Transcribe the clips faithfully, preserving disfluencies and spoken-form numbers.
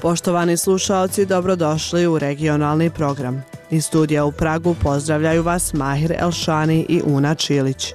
Poštovani slušaoci, dobrodošli u regionalni program. Iz studija u Pragu pozdravljaju vas Mahir Elšani i Una Čilić.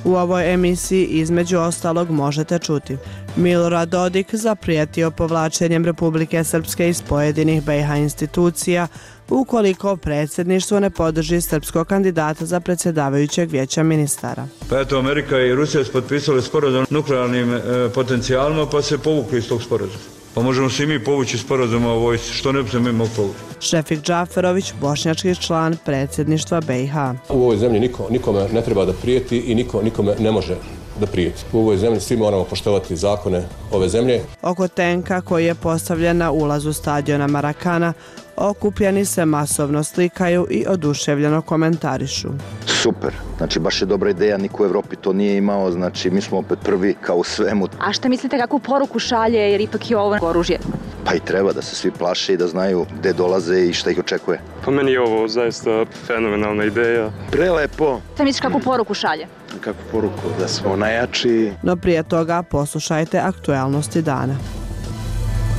U ovoj emisiji između ostalog možete čuti: Milorad Dodik zaprijetio povlačenjem Republike Srpske iz pojedinih B iH institucija ukoliko predsjedništvo ne podrži srpskog kandidata za predsjedavajućeg vijeća ministara. Pa eto, Amerika i Rusija su potpisali sporazum o nuklearnim e, potencijalima, pa se povukli iz tog sporazuma. Pa možemo se i mi povući sporazuma o vojsci, što ne bi se mi mogli povući. Šefik Džaferović, bošnjački član predsjedništva B iH. U ovoj zemlji niko, nikome ne treba da prijeti i niko nikome ne može da prijeti. U ovoj zemlji svi moramo poštovati zakone ove zemlje. Oko tenka koji je postavljen na ulazu stadiona Marakana, okupljeni se masovno slikaju i oduševljeno komentarišu. Super, znači baš je dobra ideja, niko u Evropi to nije imao, znači mi smo opet prvi kao u svemu. A šta mislite, kakvu poruku šalje, jer ipak je ovo oružje? Pa i treba da se svi plaše i da znaju gde dolaze i šta ih očekuje. Po meni je ovo zaista fenomenalna ideja. Prelepo. Šta misliš, kakvu poruku šalje? Kakvu poruku, da smo najjači. No prije toga poslušajte aktualnosti dana.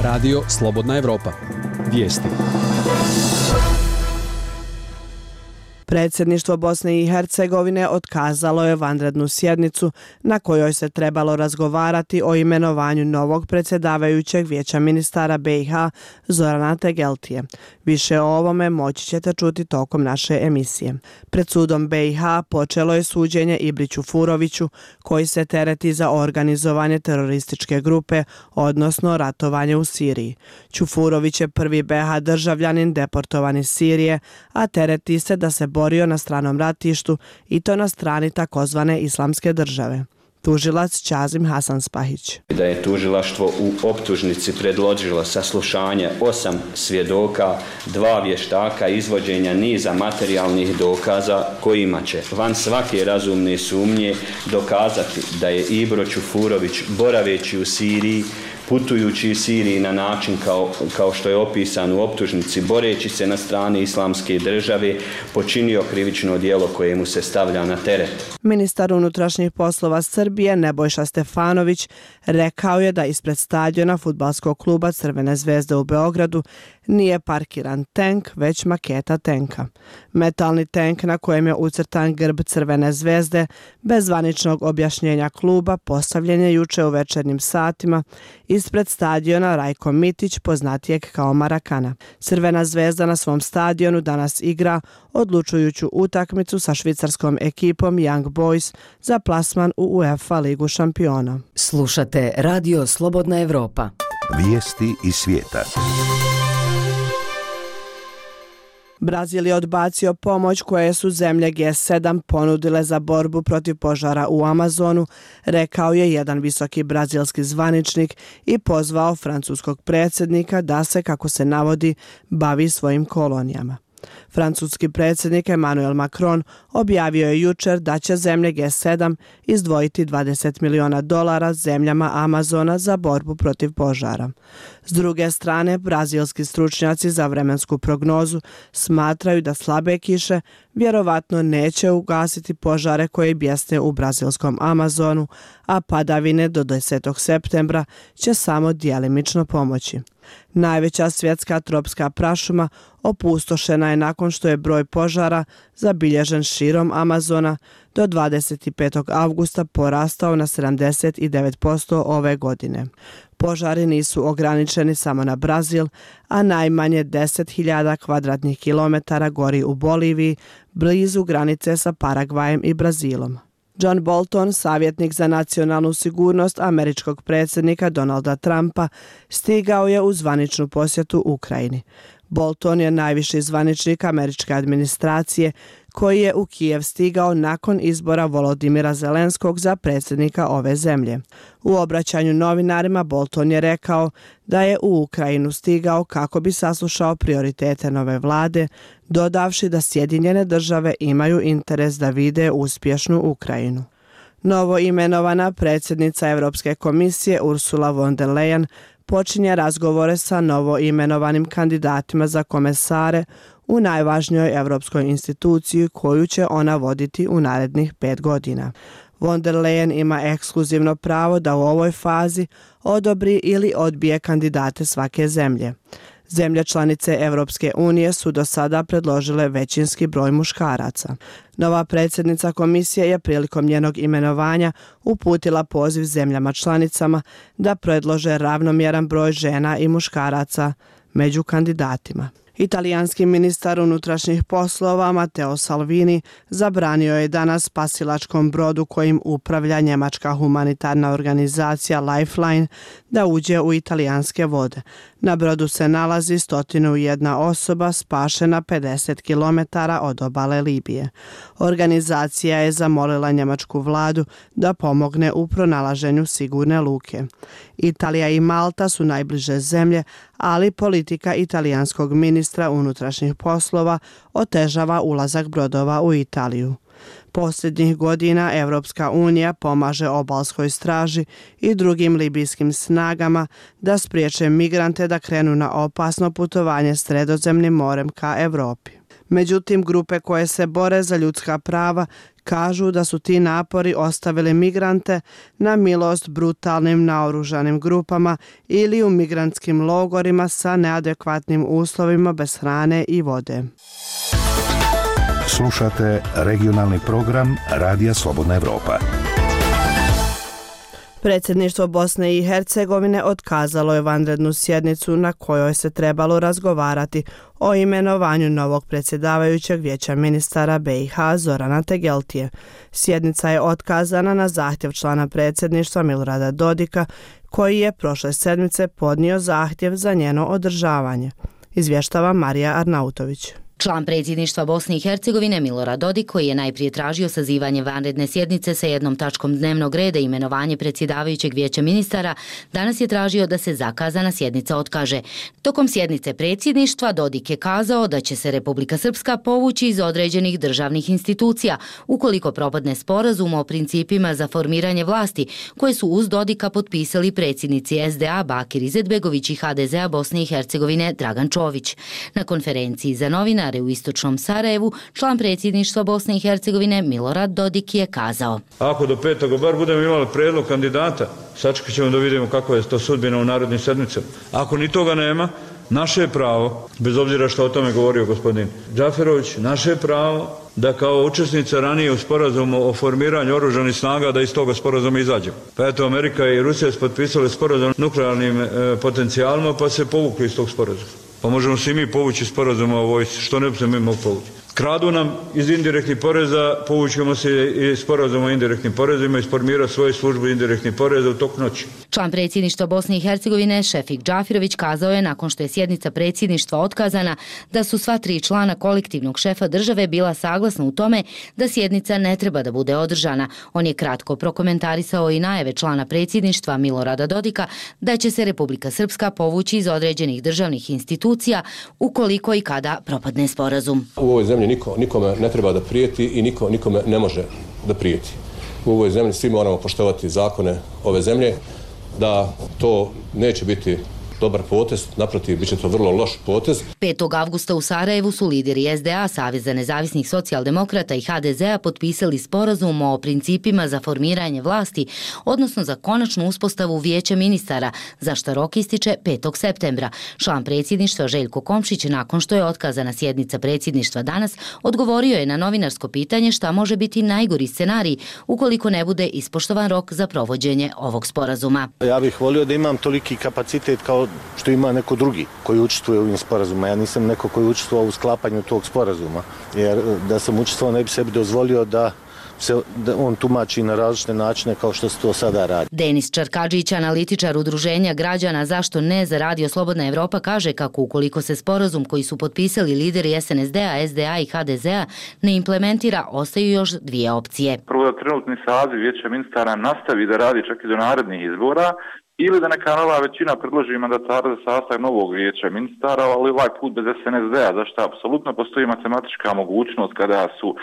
Radio Slobodna Evropa. Vijesti. Predsjedništvo Bosne i Hercegovine otkazalo je vanrednu sjednicu na kojoj se trebalo razgovarati o imenovanju novog predsjedavajućeg vijeća ministara B iH Zorana Tegeltije. Više o ovome moći ćete čuti tokom naše emisije. Pred sudom B iH počelo je suđenje Ibriću Furoviću, koji se tereti za organizovanje terorističke grupe, odnosno ratovanje u Siriji. Čufurović je prvi B iH državljanin deportovan iz Sirije, a tereti se da se borio na stranom ratištu i to na strani takozvane islamske države. Tužilac Čazim Hasanspahić. Da je tužilaštvo u optužnici predložilo saslušanje osam svjedoka, dva vještaka, izvođenja niza materijalnih dokaza kojima će van svake razumne sumnje dokazati da je Ibro Čufurović, boraveći u Siriji, putujući iz Siriji na način kao, kao što je opisan u optužnici, boreći se na strani islamske države, počinio krivično djelo koje mu se stavlja na teret. Ministar unutrašnjih poslova Srbije Nebojša Stefanović rekao je da ispred stadiona fudbalskog kluba Crvene zvezde u Beogradu nije parkiran tenk, već maketa tenka. Metalni tenk na kojem je ucrtan grb Crvene zvezde, bez zvaničnog objašnjenja kluba, postavljen je juče u večernjim satima ispred stadiona Rajko Mitić, poznatijeg kao Marakana. Crvena zvezda na svom stadionu danas igra odlučujuću utakmicu sa švicarskom ekipom Young Boys za plasman u UEFA ligu šampiona. Slušate Radio Slobodna Evropa. Vijesti iz svijeta. Brazil je odbacio pomoć koje su zemlje G sedam ponudile za borbu protiv požara u Amazonu, rekao je jedan visoki brazilski zvaničnik i pozvao francuskog predsjednika da se, kako se navodi, bavi svojim kolonijama. Francuski predsjednik Emmanuel Macron objavio je jučer da će zemlje G sedam izdvojiti dvadeset miliona dolara zemljama Amazona za borbu protiv požara. S druge strane, brazilski stručnjaci za vremensku prognozu smatraju da slabe kiše vjerovatno neće ugasiti požare koje bjesne u brazilskom Amazonu, a padavine do desetog septembra će samo djelimično pomoći. Najveća svjetska tropska prašuma opustošena je nakon što je broj požara zabilježen širom Amazona do dvadeset petog avgusta porastao na sedamdeset devet posto ove godine. Požari nisu ograničeni samo na Brazil, a najmanje deset hiljada kvadratnih kilometara gori u Boliviji, blizu granice sa Paragvajem i Brazilom. John Bolton, savjetnik za nacionalnu sigurnost američkog predsjednika Donalda Trumpa, stigao je u zvaničnu posjetu Ukrajini. Bolton je najviši zvaničnik američke administracije koji je u Kijev stigao nakon izbora Volodimira Zelenskog za predsjednika ove zemlje. U obraćanju novinarima Bolton je rekao da je u Ukrajinu stigao kako bi saslušao prioritete nove vlade, dodavši da Sjedinjene države imaju interes da vide uspješnu Ukrajinu. Novo imenovana predsjednica Europske komisije Ursula von der Leyen počinje razgovore sa novo imenovanim kandidatima za komesare u najvažnijoj europskoj instituciji koju će ona voditi u narednih pet godina. Von der Leyen ima ekskluzivno pravo da u ovoj fazi odobri ili odbije kandidate svake zemlje. Zemlje članice Evropske unije su do sada predložile većinski broj muškaraca. Nova predsjednica komisije je prilikom njenog imenovanja uputila poziv zemljama članicama da predlože ravnomjeran broj žena i muškaraca među kandidatima. Italijanski ministar unutrašnjih poslova Matteo Salvini zabranio je danas spasilačkom brodu kojim upravlja njemačka humanitarna organizacija Lifeline da uđe u italijanske vode. Na brodu se nalazi sto jedna osoba spašena pedeset kilometara od obale Libije. Organizacija je zamolila njemačku vladu da pomogne u pronalaženju sigurne luke. Italija i Malta su najbliže zemlje, ali politika italijanskog ministra unutrašnjih poslova otežava ulazak brodova u Italiju. Posljednjih godina Evropska unija pomaže obalskoj straži i drugim libijskim snagama da spriječe migrante da krenu na opasno putovanje Sredozemnim morem ka Europi. Međutim, grupe koje se bore za ljudska prava kažu da su ti napori ostavili migrante na milost brutalnim naoružanim grupama ili u migrantskim logorima sa neadekvatnim uslovima bez hrane i vode. Slušate regionalni program Radija Slobodna Evropa. Predsjedništvo Bosne i Hercegovine otkazalo je vanrednu sjednicu na kojoj se trebalo razgovarati o imenovanju novog predsjedavajućeg vijeća ministara B i H Zorana Tegeltije. Sjednica je otkazana na zahtjev člana predsjedništva Milorada Dodika, koji je prošle sedmice podnio zahtjev za njeno održavanje. Izvještava Marija Arnautović. Član predsjedništva Bosne i Hercegovine Milorad Dodik, koji je najprije tražio sazivanje vanredne sjednice sa jednom tačkom dnevnog reda i imenovanje predsjedavajućeg vijeća ministara, danas je tražio da se zakazana sjednica otkaže. Tokom sjednice predsjedništva Dodik je kazao da će se Republika Srpska povući iz određenih državnih institucija ukoliko propadne sporazum o principima za formiranje vlasti koje su uz Dodika potpisali predsjednici S D A Bakir Izetbegović i H D Z-a Bosne i Hercegovine Dragan Čović. Na konferenciji za novinare u istočnom Sarajevu, član predsjedništva Bosne i Hercegovine Milorad Dodik je kazao: Ako do petoga bar budemo imali prijedlog kandidata, sačekat ćemo da vidimo kako je to sudbina u narodnim sedmicama. Ako ni toga nema, naše je pravo, bez obzira što o tome govorio gospodin Džaferović, naše je pravo da kao učesnica ranije u sporazumu o formiranju oružanih snaga da iz toga sporazuma izađemo. Pa eto, Amerika i Rusija su potpisali sporazum o nuklearnim e, potencijalima pa se povukli iz tog sporazuma. Pa možemo se i mi povući sporazuma o vojsci, što ne bi se mi mogli povući. Kradu nam iz indirektnih poreza, povućemo se i sporazum o indirektnim porezima i formirati svoju službu indirektnih poreza u toku noći. Član predsjedništva Bosne i Hercegovine Šefik Džafirović kazao je nakon što je sjednica predsjedništva otkazana da su sva tri člana kolektivnog šefa države bila saglasna u tome da sjednica ne treba da bude održana. On je kratko prokomentarisao i najave člana predsjedništva Milorada Dodika da će se Republika Srpska povući iz određenih državnih institucija ukoliko i kada propadne sporazum. U ovoj zemlji niko, nikome ne treba da prijeti i niko nikome ne može da prijeti. U ovoj zemlji svi moramo poštovati zakone ove zemlje, da to neće biti dobar potez, naprotiv, bit će to vrlo loš potez. petog avgusta u Sarajevu su lideri S D A, Saveza nezavisnih socijaldemokrata i H D Z-a potpisali sporazum o principima za formiranje vlasti, odnosno za konačnu uspostavu vijeća ministara, za što rok ističe petog septembra. Član predsjedništva Željko Komšić, nakon što je otkazana sjednica predsjedništva danas, odgovorio je na novinarsko pitanje šta može biti najgori scenarij ukoliko ne bude ispoštovan rok za provođenje ovog sporazuma. Ja bih volio da imam toliki kapacitet kao što ima neko drugi koji učestvuje u ovim sporazumima. Ja nisam neko koji učestvuje u sklapanju tog sporazuma, jer da sam učestvovao ne bi sebi dozvolio da se da on tumači na različite načine kao što se to sada radi. Denis Čarkadžić, analitičar udruženja građana Zašto ne za Radio Slobodna Evropa, kaže kako ukoliko se sporazum koji su potpisali lideri S N S D-a, S D A i H D Z-a ne implementira, ostaju još dvije opcije. Prvo da trenutni saziv vijeća ministara nastavi da radi čak i do narednih izbora, ili da neka nova većina predloži mandatara za sastav novog vijeća ministara, ali ovaj put bez S N S D-a, zašto apsolutno postoji matematička mogućnost kada su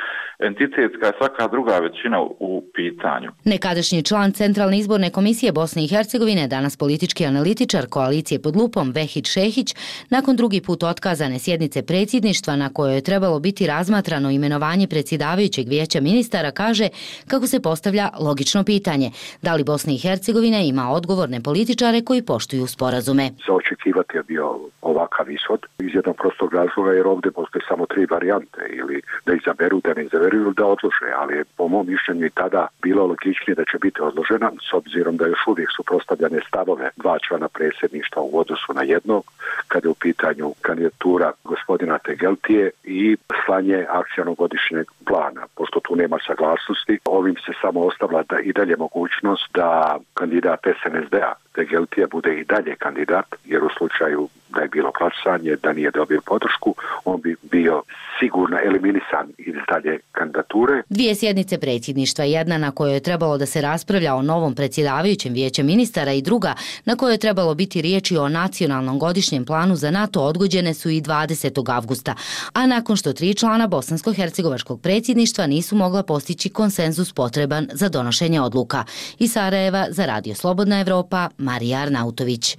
entitetska i svaka druga većina u pitanju. Nekadašnji član Centralne izborne komisije Bosne i Hercegovine, danas politički analitičar koalicije pod lupom Vehid Šehić, nakon drugi put otkazane sjednice predsjedništva na kojoj je trebalo biti razmatrano imenovanje predsjedavajućeg vijeća ministara, kaže kako se postavlja logično pitanje: da li Bosna i Hercegovina ima odgovorne političare koji poštuju sporazume. Za očekivati je bio ovakav ishod iz jednog prostog razloga, jer ovdje postoje samo tri varijante, ili da izaberu, da ne izaberu ili da odlože, ali je po mom mišljenju i tada bilo logičnije da će biti odložena, s obzirom da još uvijek su prostavljane stavove dva člana predsjedništva u odnosu na jednog, kada je u pitanju kandidatura gospodina Tegeltije i slanje akcionog godišnjeg plana. Pošto tu nema saglasnosti, ovim se samo ostavlja da i dalje mogućnost da kandidat S N S D-a Tegeltija bude i dalje kandidat, jer u slučaju da je bilo glasanje, da nije dobio podršku, on bi bio sigurno eliminisan iz dalje kandidature. Dvije sjednice predsjedništva, jedna na kojoj je trebalo da se raspravlja o novom predsjedavajućem vijeća ministara i druga na kojoj je trebalo biti riječi o nacionalnom godišnjem planu za NATO, odgođene su i dvadesetog avgusta, a nakon što tri člana bosansko-hercegovačkog predsjedništva nisu mogla postići konsenzus potreban za donošenje odluka. Iz Sarajeva za Radio Slobodna Evropa, Marija Arnautović.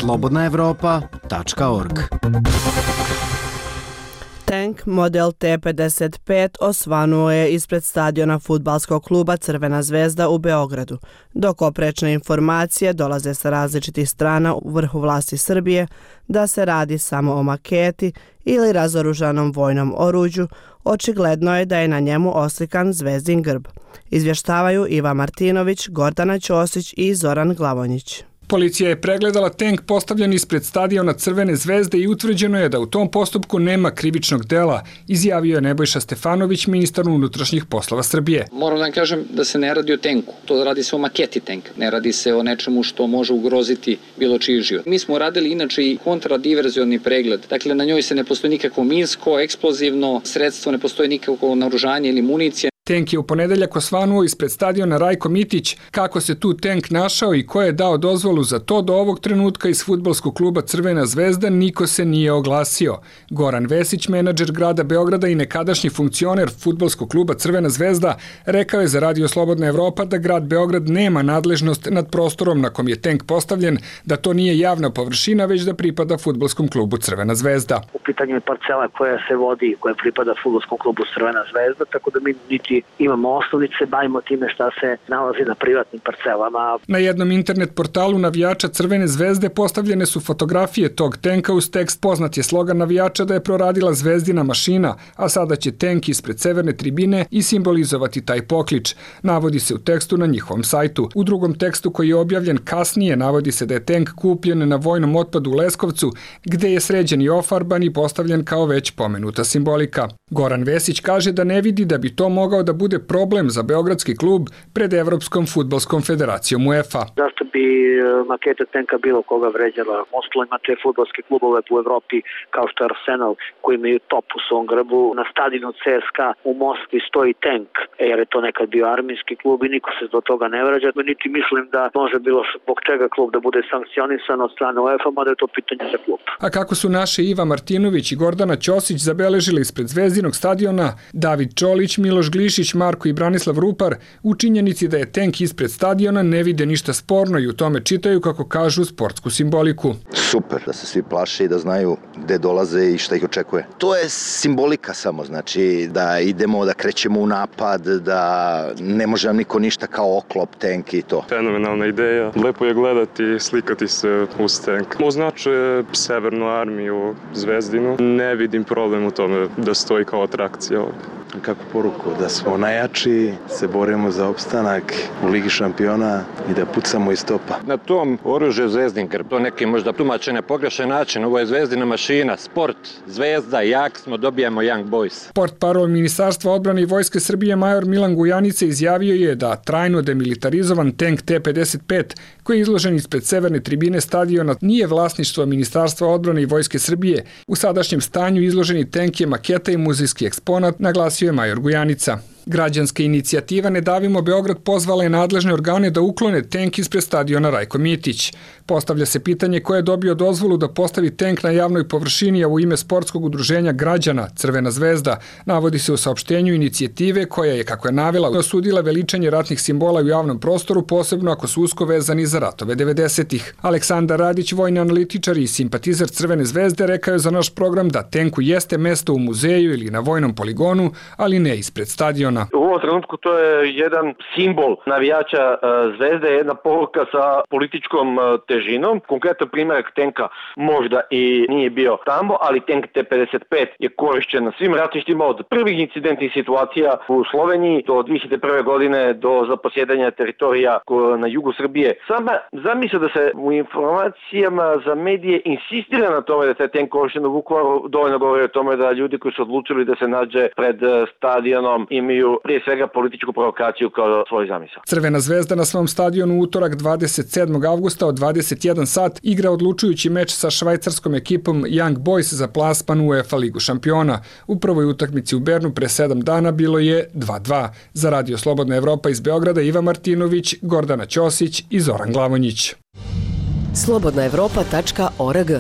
slobodna evropa tačka org. Tank model T pedeset pet osvanuo je ispred stadiona fudbalskog kluba Crvena zvezda u Beogradu, dok oprečne informacije dolaze sa različitih strana u vrhu vlasti Srbije da se radi samo o maketi ili razoružanom vojnom oruđu. Očigledno je da je na njemu oslikan zvezdin grb. Izvještavaju Iva Martinović, Gordana Ćosić i Zoran Glavonjić. Policija je pregledala tank postavljen ispred stadiona Crvene zvezde i utvrđeno je da u tom postupku nema krivičnog dela, izjavio je Nebojša Stefanović, ministar unutrašnjih poslova Srbije. Moram da vam kažem da se ne radi o tenku, to radi se o maketi tenka, ne radi se o nečemu što može ugroziti bilo čiji život. Mi smo radili inače i kontradiverzioni pregled, dakle na njoj se ne postoji nikakvo minsko, eksplozivno sredstvo, ne postoji nikakvo naoružanje ili municija. Tank je u ponedeljak osvanuo ispred stadiona Rajko Mitić. Kako se tu tank našao i ko je dao dozvolu za to, do ovog trenutka iz fudbalskog kluba Crvena zvezda niko se nije oglasio. Goran Vesić, menadžer grada Beograda i nekadašnji funkcioner fudbalskog kluba Crvena zvezda, rekao je za Radio Slobodna Evropa da grad Beograd nema nadležnost nad prostorom na kom je tank postavljen, da to nije javna površina, već da pripada fudbalskom klubu Crvena zvezda. U pitanju je parcela koja se vodi, koja pripada fudbalskom klubu Crvena zvezda, tako da mi niti imamo osnovice, bavimo time šta se nalazi na privatnim parcelama. Na jednom internet portalu navijača Crvene zvezde postavljene su fotografije tog tenka uz tekst: poznat je slogan navijača da je proradila zvezdina mašina, a sada će tenk ispred severne tribine i simbolizovati taj poklič. Navodi se u tekstu na njihovom sajtu. U drugom tekstu koji je objavljen kasnije navodi se da je tenk kupljen na vojnom otpadu u Leskovcu, gde je sređen i ofarban i postavljen kao već pomenuta simbolika. Goran Vesić kaže da ne vidi da bi to mogao da bude problem za beogradski klub pred Evropskom fudbalskom federacijom UEFA. Zašto bi maketa tenka bilo koga vređala? Ostalo imate fudbalske klubove u Evropi kao što je Arsenal, koji imaju top u svom grbu. Na stadionu C S K u Moskvi stoji tank, jer je to nekad bio armijski klub i niko se do toga ne vređa. Niti mislim da može bilo zbog čega klub da bude sankcionisan od strane UEFA, mada je to pitanje za klub. A kako su naše Iva Martinović i Gordana Ćosić zabeležili ispred zvezdinog stadiona, David Čolić, Miloš Glišić, Marko i Branislav Rupar u činjenici da je tank ispred stadiona ne vide ništa sporno i u tome čitaju, kako kažu, sportsku simboliku. Super, da se svi plaše i da znaju gde dolaze i šta ih očekuje. To je simbolika samo, znači da idemo, da krećemo u napad, da ne može nam niko ništa kao oklop, tank i to. Fenomenalna ideja, lepo je gledati i slikati se uz tank. Označuje Severnu armiju Zvezdinu, ne vidim problem u tome da stoji kao atrakcija ovdje. Kako poruku? Da smo najjači, se borimo za opstanak u Ligi šampiona i da pucamo iz topa. Na tom oružju zvezdin grb, to neki možda tumače na pogrešan način, ovo je zvezdina mašina, sport, zvezda, jak smo, dobijamo Young Boys. Port parol Ministarstva odbrane i Vojske Srbije major Milan Gujanica izjavio je da trajno demilitarizovan tank T pedeset pet, koji je izložen ispred severne tribine stadiona, nije vlasništvo Ministarstva odbrane i Vojske Srbije. U sadašnjem stanju izloženi tank je maketa i muzejski eksponat, naglasio je major Gujanica. Građanska inicijativa Ne davimo Beograd pozvala je nadležne organe da uklone tenk ispred stadiona Rajko Mitić. Postavlja se pitanje ko je dobio dozvolu da postavi tenk na javnoj površini, a u ime sportskog udruženja građana Crvena zvezda. Navodi se u saopštenju inicijative koja je, kako je navela, osudila veličanje ratnih simbola u javnom prostoru, posebno ako su usko vezani za ratove devedesetih. Aleksandar Radić, vojni analitičar i simpatizer Crvene zvezde, rekao je za naš program da tenku jeste mesto u muzeju ili na vojnom poligonu, ali ne ispred stadiona. U ovom trenutku to je jedan simbol navijača Zvezde, jedna poruka sa političkom težinom. Konkretan primjerak tenka možda i nije bio tamo, ali tenk T pedeset pet je korišćen na svim ratištima od prvih incidentnih situacija u Sloveniji do dvije hiljade prve. godine do zaposjedanja teritorija na jugu Srbije. Sama zamisla da se u informacijama za medije insistira na tome da se tenk korišćen u Vukovaru dovoljno govori o tome da ljudi koji su odlučili da se nađe pred stadionom imaju prije svega političku provokaciju kao svoj zamisao. Crvena zvezda na svom stadionu u utorak dvadeset sedmog avgusta od dvadeset jedan sat igra odlučujući meč sa švajcarskom ekipom Young Boys za plasman u UEFA ligu šampiona. U prvoj utakmici u Bernu pre sedam dana bilo je dva dva. Za Radio Slobodna Evropa iz Beograda Iva Martinović, Gordana Ćosić i Zoran Glavonjić. slobodna evropa tačka org.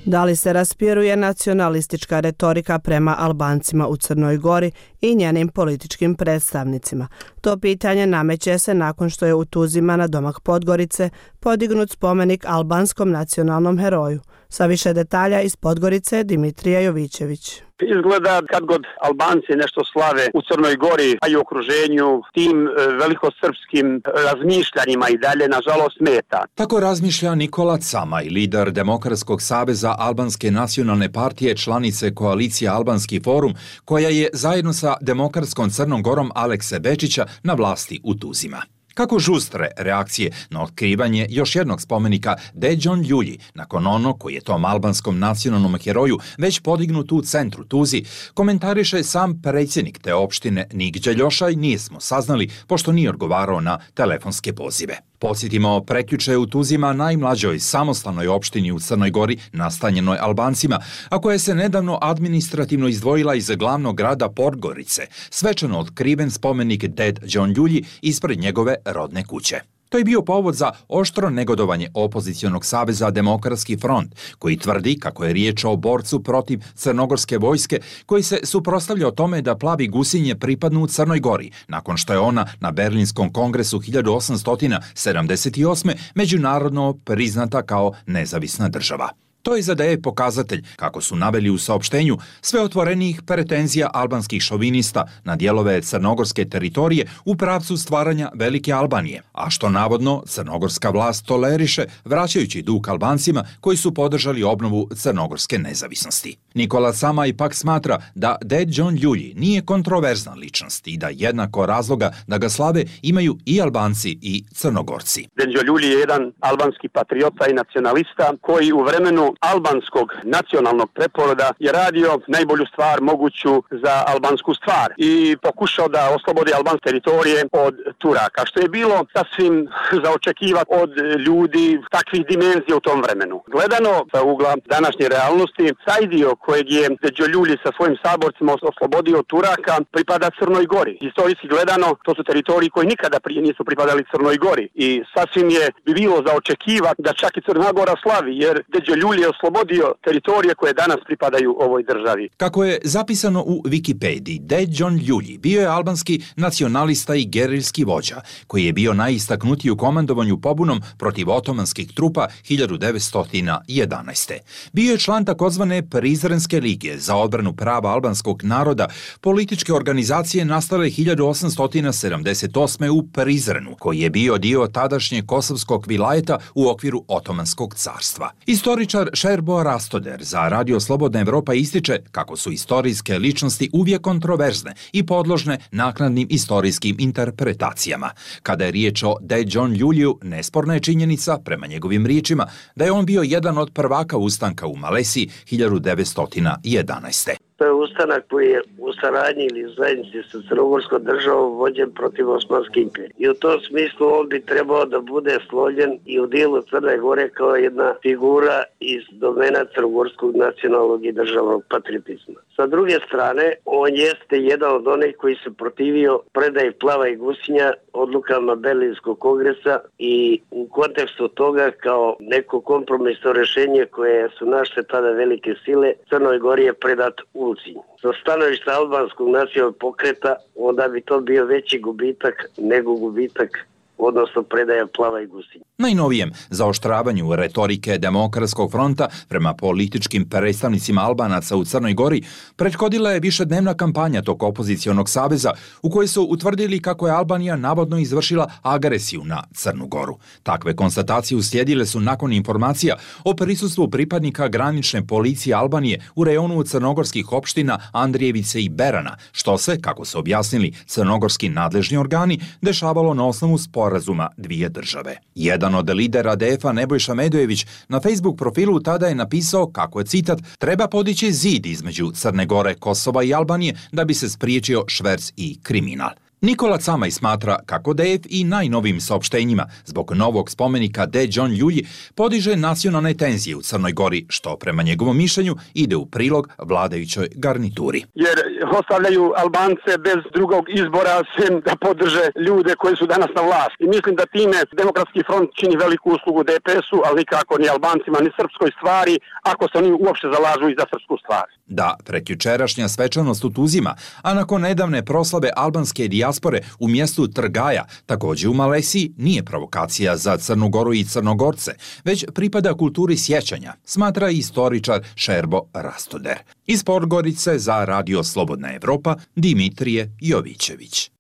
Da li se raspiruje nacionalistička retorika prema Albancima u Crnoj Gori i njenim političkim predstavnicima? To pitanje nameće se nakon što je u Tuzima na domak Podgorice podignut spomenik albanskom nacionalnom heroju. Sa više detalja iz Podgorice Dimitrija Jovićević. Izgleda kad god Albanci nešto slave u Crnoj Gori, a i u okruženju, tim velikosrpskim razmišljanjima i dalje, nažalost, smeta. Tako razmišlja Nikola Camaj, lider Demokratskog saveza Albanske nacionalne partije, članice koalicije Albanski forum, koja je zajedno sa Demokratskom Crnom Gorom Alekse Bečića na vlasti u Tuzima. Kako žustre reakcije na otkrivanje još jednog spomenika Deđon Ljulji, nakon ono koji je tom albanskom nacionalnom heroju već podignut u centru Tuzi, komentariše sam predsjednik te opštine Nigđa Ljošaj, nismo saznali pošto nije odgovarao na telefonske pozive. Podsjetimo, prekjuče u Tuzima, najmlađoj samostalnoj opštini u Crnoj Gori, nastanjenoj Albancima, a koja se nedavno administrativno izdvojila iz glavnog grada Podgorice, svečano otkriven spomenik Ded Đon Ljulji ispred njegove rodne kuće. To je bio povod za oštro negodovanje opozicionog saveza Demokratski front, koji tvrdi kako je riječ o borcu protiv crnogorske vojske, koji se suprotstavlja o tome da plavi gusinje pripadnu u Crnoj Gori, nakon što je ona na Berlinskom kongresu hiljadu osamsto sedamdeset osme. međunarodno priznata kao nezavisna država. To izadaje pokazatelj, kako su naveli u saopštenju, sve otvorenijih pretenzija albanskih šovinista na dijelove crnogorske teritorije u pravcu stvaranja Velike Albanije, a što navodno crnogorska vlast toleriše, vraćajući dug Albancima koji su podržali obnovu crnogorske nezavisnosti. Nikola Camaj ipak smatra da Ded Đon Ljulji nije kontroverzna ličnost i da jednako razloga da ga slave imaju i Albanci i Crnogorci. Ded Đon Ljulji je jedan albanski patriota i nacionalista koji u vremenu albanskog nacionalnog preporoda je radio najbolju stvar moguću za albansku stvar i pokušao da oslobodi albanske teritorije od Turaka, što je bilo sasvim za očekivati od ljudi takvih dimenzija u tom vremenu. Gledano sa ugla današnje realnosti, taj dio kojeg je Deđo Ljulji sa svojim saborcima oslobodio od Turaka pripada Crnoj Gori. Historijski gledano, to su teritoriji koji nikada prije nisu pripadali Crnoj Gori i sasvim je bi bilo za očekivati da čak i Crna Gora slavi, jer Deđo Ljulji je oslobodio teritorije koje danas pripadaju ovoj državi. Kako je zapisano u Wikipediji, Ded Đon Ljulji bio je albanski nacionalista i gerilski vođa, koji je bio najistaknutiji u komandovanju pobunom protiv otomanskih trupa hiljadu devetsto jedanaeste. Bio je član takozvane Prizrenske lige za odbranu prava albanskog naroda, političke organizacije nastale hiljadu osamsto sedamdeset osme. u Prizrenu, koji je bio dio tadašnje kosovskog vilajeta u okviru Otomanskog carstva. Istoričar Šerbo Rastoder za Radio Slobodna Evropa ističe kako su istorijske ličnosti uvijek kontroverzne i podložne naknadnim istorijskim interpretacijama. Kada je riječ o Ded Đon Ljuljiju, nesporna je činjenica, prema njegovim riječima, da je on bio jedan od prvaka ustanka u Malesiji hiljadu devetsto jedanaeste. To je ustanak koji je u saradnji ili zajednici sa Crnogorskom državom vođen protiv Osmanske imperije. I u tom smislu on bi trebao da bude složen i u dijelu Crne Gore kao jedna figura iz domena crnogorskog nacionalnog i državnog patriotizma. Sa druge strane, on jeste jedan od onih koji se protivio predaji Plava i Gusinja odlukama Berlinskog kongresa i u kontekstu toga kao neko kompromisno rješenje koje su naše tada velike sile, Crnoj Gori je predat Ulcinj. Sa stanovišta albanskog nacionalnog pokreta, onda bi to bio veći gubitak nego gubitak, odnosno predaja Plava i Gusinja. Najnovijem zaoštravanju retorike Demokratskog fronta prema političkim predstavnicima Albanaca u Crnoj Gori prethodila je višednevna kampanja tog opozicionog saveza u kojoj su utvrdili kako je Albanija navodno izvršila agresiju na Crnu Goru. Takve konstatacije uslijedile su nakon informacija o prisustvu pripadnika granične policije Albanije u rejonu crnogorskih opština Andrijevice i Berana, što se, kako su objasnili crnogorski nadležni organi, dešavalo na osnovu sporazuma dvije države. Jedan od lidera D F-a Nebojša Medojević na Facebook profilu tada je napisao kako je, citat, treba podići zid između Crne Gore, Kosova i Albanije da bi se spriječio šverc i kriminal. Nikola Camaj smatra kako D F i najnovim saopštenjima zbog novog spomenika D. John Ljulji podiže nacionalne tenzije u Crnoj Gori, što prema njegovom mišljenju ide u prilog vladajućoj garnituri. Jer ostavljaju Albance bez drugog izbora sem da podrže ljude koji su danas na vlasti. I mislim da time Demokratski front čini veliku uslugu D P S-u, ali nikako ni Albancima, ni srpskoj stvari, ako se oni uopšte zalažu i za srpsku stvar. Da, prekjučerašnja svečanost u Tuzima, a nakon nedavne proslave albanske dijaspore u mjestu Trgaja, također u Malesiji, nije provokacija za Crnu Goru i Crnogorce, već pripada kulturi sjećanja, smatra istoričar Šerbo Rastoder. Iz Podgorice za Radio Slobodna Evropa, Dimitrije Jovićević.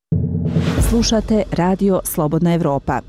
Slušate Radio Slobodna Evropa.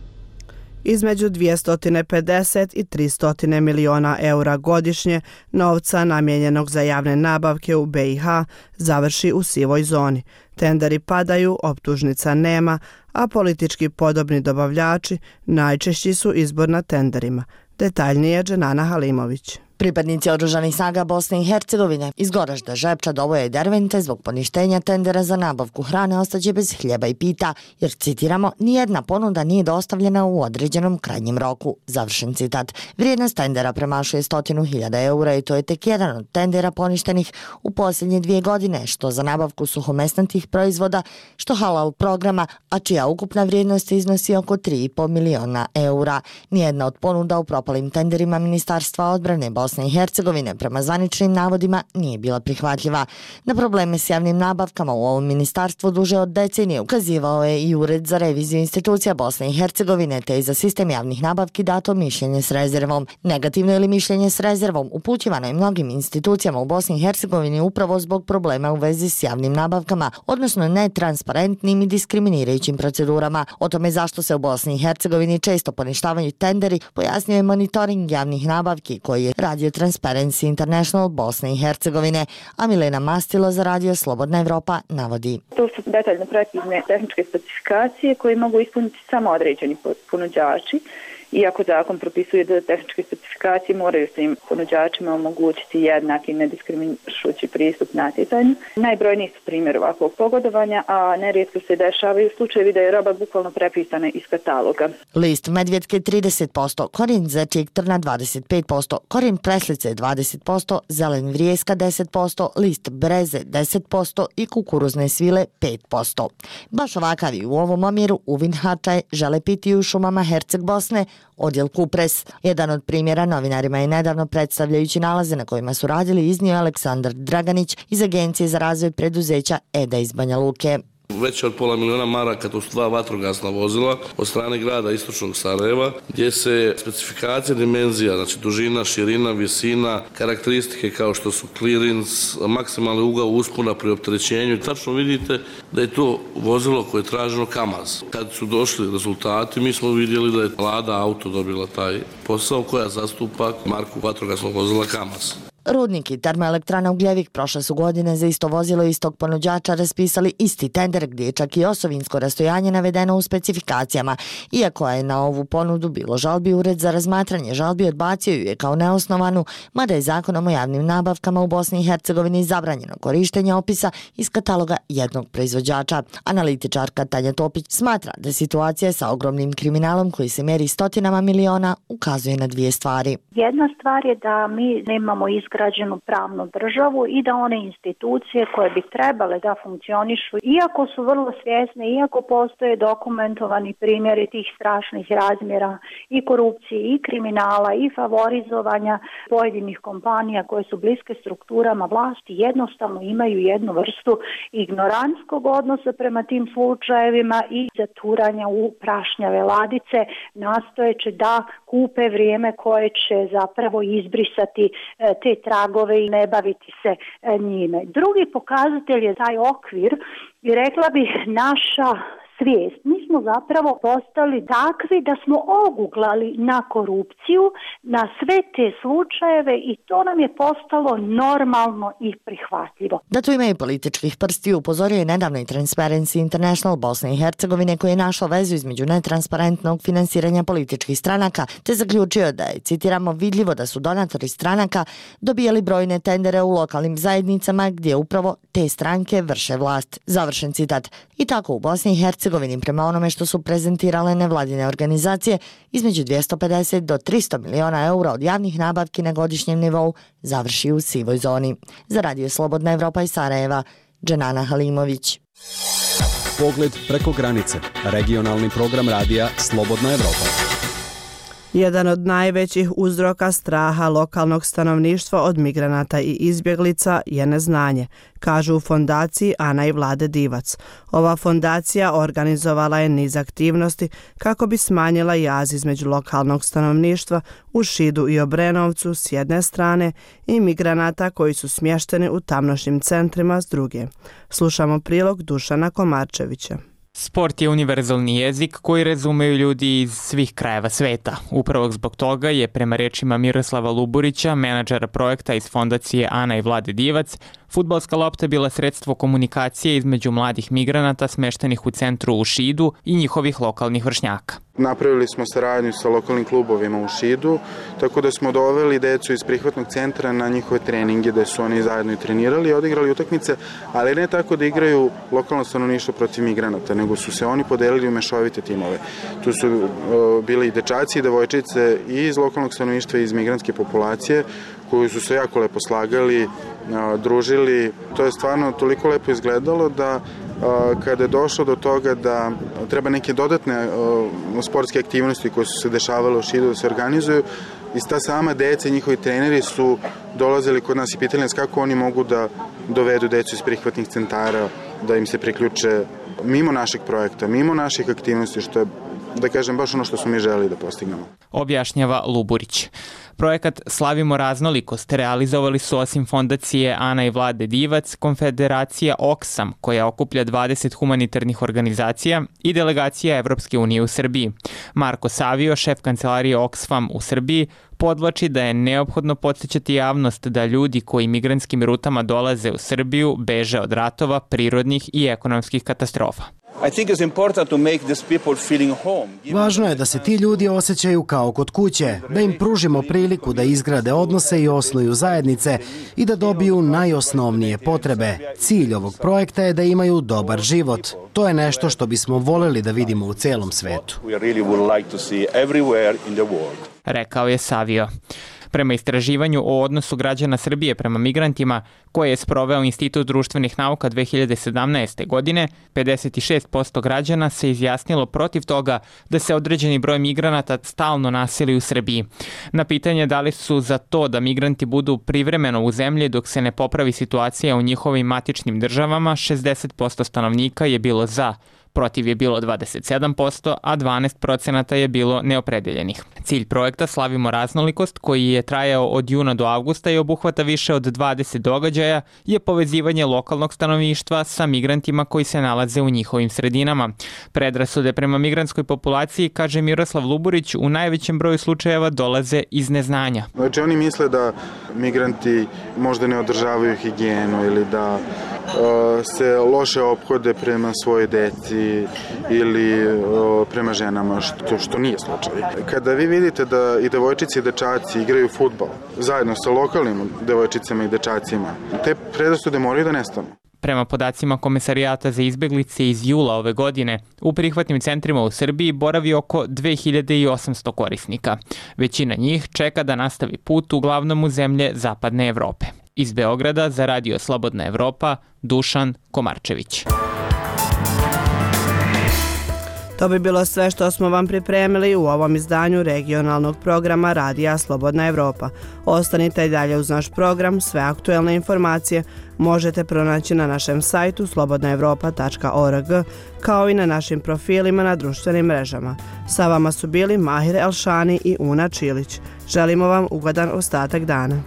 Između dvjesto pedeset i tristo miliona eura godišnje novca namijenjenog za javne nabavke u B i H završi u sivoj zoni. Tenderi padaju, optužnica nema, a politički podobni dobavljači najčešći su izbor na tenderima. Detaljnije Dženana Halimović. Pripadnici oružanih snaga Bosne i Hercegovine iz Goražda, Žepča, Doboja i Dervente zbog poništenja tendera za nabavku hrane ostaće bez hljeba i pita, jer, citiramo, nijedna ponuda nije dostavljena u određenom krajnjem roku. Završen citat. Vrijednost tendera premašuje stotinu hiljada eura i to je tek jedan od tendera poništenih u posljednje dvije godine, što za nabavku suhomesnatih proizvoda, što halal programa, a čija ukupna vrijednost iznosi oko tri i po miliona eura. Nijedna od ponuda u propalim tenderima Ministarstva odbrane Bosne Bosne i Hercegovine prema zvaničnim navodima nije bila prihvatljiva. Na probleme s javnim nabavkama u ovom ministarstvu duže od decenije ukazivao je i Ured za reviziju institucija Bosne i Hercegovine, te i za sistem javnih nabavki dato mišljenje s rezervom. Negativno ili mišljenje s rezervom upućivano je mnogim institucijama u Bosni i Hercegovini upravo zbog problema u vezi s javnim nabavkama, odnosno netransparentnim i diskriminirajućim procedurama. O tome zašto se u Bosni i Hercegovini često poništavaju tenderi pojasnio je monitoring javnih nabavki koji je radio Transparency International Bosne i Hercegovine, a Milena Mastilo za Radio Slobodna Evropa navodi. To su detaljno precizne tehničke specifikacije koje mogu ispuniti samo određeni ponuđači. Iako zakon propisuje da tehničke specifikacije moraju svim ponuđačima omogućiti jednak i nediskriminišući pristup natjecanju. Najbrojniji su primjer ovakvog pogodovanja, a nerijetko se dešavaju slučajevi da je roba bukvalno prepisana iz kataloga. List medvjetke trideset posto, korijen zečijeg trna dvadeset pet posto, korijen preslice dvadeset posto, zelen vrijeska deset posto, list breze deset posto i kukuruzne svile pet posto. Baš ovakav i u ovom omjeru uvin hačaj žele piti u šumama Herceg Bosne, odjel Kupres. Jedan od primjera novinarima je nedavno predstavljajući nalaze na kojima su radili iznio Aleksandar Draganić iz Agencije za razvoj preduzeća EDA iz Banja Luke. Veće od pola miliona maraka, to su dva vatrogasna vozila od strane grada istočnog Sarajeva, gdje se specifikacija dimenzija, znači dužina, širina, visina, karakteristike kao što su clearance, maksimalni ugao uspona pri opterećenju. Tačno vidite da je to vozilo koje je traženo Kamaz. Kad su došli rezultati, mi smo vidjeli da je Lada Auto dobila taj posao koja zastupa marku vatrogasnog vozila Kamaz. Rudnik i termoelektrana Ugljevik prošle su godine za isto vozilo istog ponuđača raspisali isti tender gdje je čak i osovinsko rastojanje navedeno u specifikacijama. Iako je na ovu ponudu bilo žalbi, Ured za razmatranje žalbi odbacio ju je kao neosnovanu, mada je zakonom o javnim nabavkama u Bosni i Hercegovini zabranjeno korištenje opisa iz kataloga jednog proizvođača. Analitičarka Tanja Topić smatra da situacija sa ogromnim kriminalom koji se meri stotinama miliona ukazuje na dvije stvari. Jedna stvar je da mi nemamo izgrađeno izgrađenu pravnu državu i da one institucije koje bi trebale da funkcionišu, iako su vrlo svjesne, iako postoje dokumentovani primjeri tih strašnih razmjera i korupcije i kriminala i favorizovanja pojedinih kompanija koje su bliske strukturama vlasti, jednostavno imaju jednu vrstu ignorantskog odnosa prema tim slučajevima i zaturanja u prašnjave ladice, nastojeći da kupe vrijeme koje će zapravo izbrisati te tragove i ne baviti se njime. Drugi pokazatelj je taj okvir i rekla bih naša svijest. Mi smo zapravo postali takvi da smo oguglali na korupciju, na sve te slučajeve i to nam je postalo normalno i prihvatljivo. Da tu ima i političkih prsti upozorio je nedavno i Transparency International Bosne i Hercegovine koji je našao vezu između netransparentnog finansiranja političkih stranaka te zaključio da je, citiramo, vidljivo da su donatori stranaka dobijali brojne tendere u lokalnim zajednicama gdje upravo te stranke vrše vlast. Završen citat. I tako u Bosni i Hercegovini prema onome što su prezentirale nevladine organizacije, između dvjesto pedeset do tristo miliona eura od javnih nabavki na godišnjem nivou završi u sivoj zoni. Za Radio Slobodna Evropa iz Sarajeva, Dženana Halimović. Pogled preko granice. Regionalni program radija Slobodna Evropa. Jedan od najvećih uzroka straha lokalnog stanovništva od migranata i izbjeglica je neznanje, kažu u fondaciji Ana i Vlade Divac. Ova fondacija organizovala je niz aktivnosti kako bi smanjila jaz između lokalnog stanovništva u Šidu i Obrenovcu s jedne strane i migranata koji su smješteni u tamnošnjim centrima s druge. Slušamo prilog Dušana Komarčevića. Sport je univerzalni jezik koji razumeju ljudi iz svih krajeva sveta. Upravo zbog toga je, prema rečima Miroslava Luburića, menadžera projekta iz fondacije Ana i Vlade Divac, fudbalska lopta bila sredstvo komunikacije između mladih migranata smeštenih u centru u Šidu i njihovih lokalnih vršnjaka. Napravili smo saradnju sa lokalnim klubovima u Šidu, tako da smo doveli decu iz prihvatnog centra na njihove treninge, da su oni zajedno i trenirali i odigrali utakmice, ali ne tako da igraju lokalno stanovništvo protiv migranata, nego su se oni podelili u mešovite timove. Tu su uh, bili i dečaci i devojčice i iz lokalnog stanovništva i iz migrantske populacije, koji su se jako lepo slagali, uh, družili. To je stvarno toliko lepo izgledalo da kada je došlo do toga da treba neke dodatne uh, sportske aktivnosti koje su se dešavale u Šidu da se organizuju, i ta sama deca i njihovi treneri su dolazili kod nas i pitali nas kako oni mogu da dovedu decu iz prihvatnih centara, da im se priključe mimo našeg projekta, mimo naših aktivnosti, što je, da kažem, baš ono što smo mi želeli da postignemo. Objašnjava Luburić. Projekat Slavimo raznolikost realizovali su osim fondacije Ana i Vlade Divac, konfederacija Oxfam, koja okuplja dvadeset humanitarnih organizacija, i delegacija Evropske unije u Srbiji. Marko Savio, šef kancelarije Oxfam u Srbiji, podvlači da je neophodno podsjećati javnost da ljudi koji migrantskim rutama dolaze u Srbiju beže od ratova, prirodnih i ekonomskih katastrofa. Važno je da se ti ljudi osjećaju kao kod kuće, da im pružimo priliku da izgrade odnose i osnuju zajednice i da dobiju najosnovnije potrebe. Cilj ovog projekta je da imaju dobar život. To je nešto što bismo voljeli da vidimo u celom svetu. Rekao je Savio. Prema istraživanju o odnosu građana Srbije prema migrantima, koje je sproveo Institut društvenih nauka dve hiljade sedamnaeste. godine, pedeset šest posto građana se izjasnilo protiv toga da se određeni broj migranata stalno naseli u Srbiji. Na pitanje da li su za to da migranti budu privremeno u zemlji dok se ne popravi situacija u njihovim matičnim državama, šezdeset posto stanovnika je bilo za. Protiv je bilo dvadeset sedam posto, a dvanaest procenata je bilo neopredeljenih. Cilj projekta Slavimo raznolikost, koji je trajao od juna do avgusta i obuhvata više od dvadeset događaja, je povezivanje lokalnog stanovništva sa migrantima koji se nalaze u njihovim sredinama. Predrasude prema migrantskoj populaciji, kaže Miroslav Luburić, u najvećem broju slučajeva dolaze iz neznanja. Znači oni misle da migranti možda ne održavaju higijenu ili da uh, se loše ophode prema svoje deci ili o, prema ženama, što, što nije slučaj. Kada vi vidite da i devojčice i dečaci igraju fudbal zajedno sa lokalnim devojčicama i dečacima, te predrasude moraju da nestanu. Prema podacima Komesarijata za izbeglice iz jula ove godine, u prihvatnim centrima u Srbiji boravi oko dve hiljade osamsto korisnika. Većina njih čeka da nastavi put uglavnom u zemlje Zapadne Evrope. Iz Beograda za Radio Slobodna Evropa, Dušan Komarčević. To bi bilo sve što smo vam pripremili u ovom izdanju regionalnog programa Radija Slobodna Evropa. Ostanite i dalje uz naš program, sve aktuelne informacije možete pronaći na našem sajtu slobodna evropa tačka org, kao i na našim profilima na društvenim mrežama. Sa vama su bili Mahir Elšani i Una Čilić. Želimo vam ugodan ostatak dana.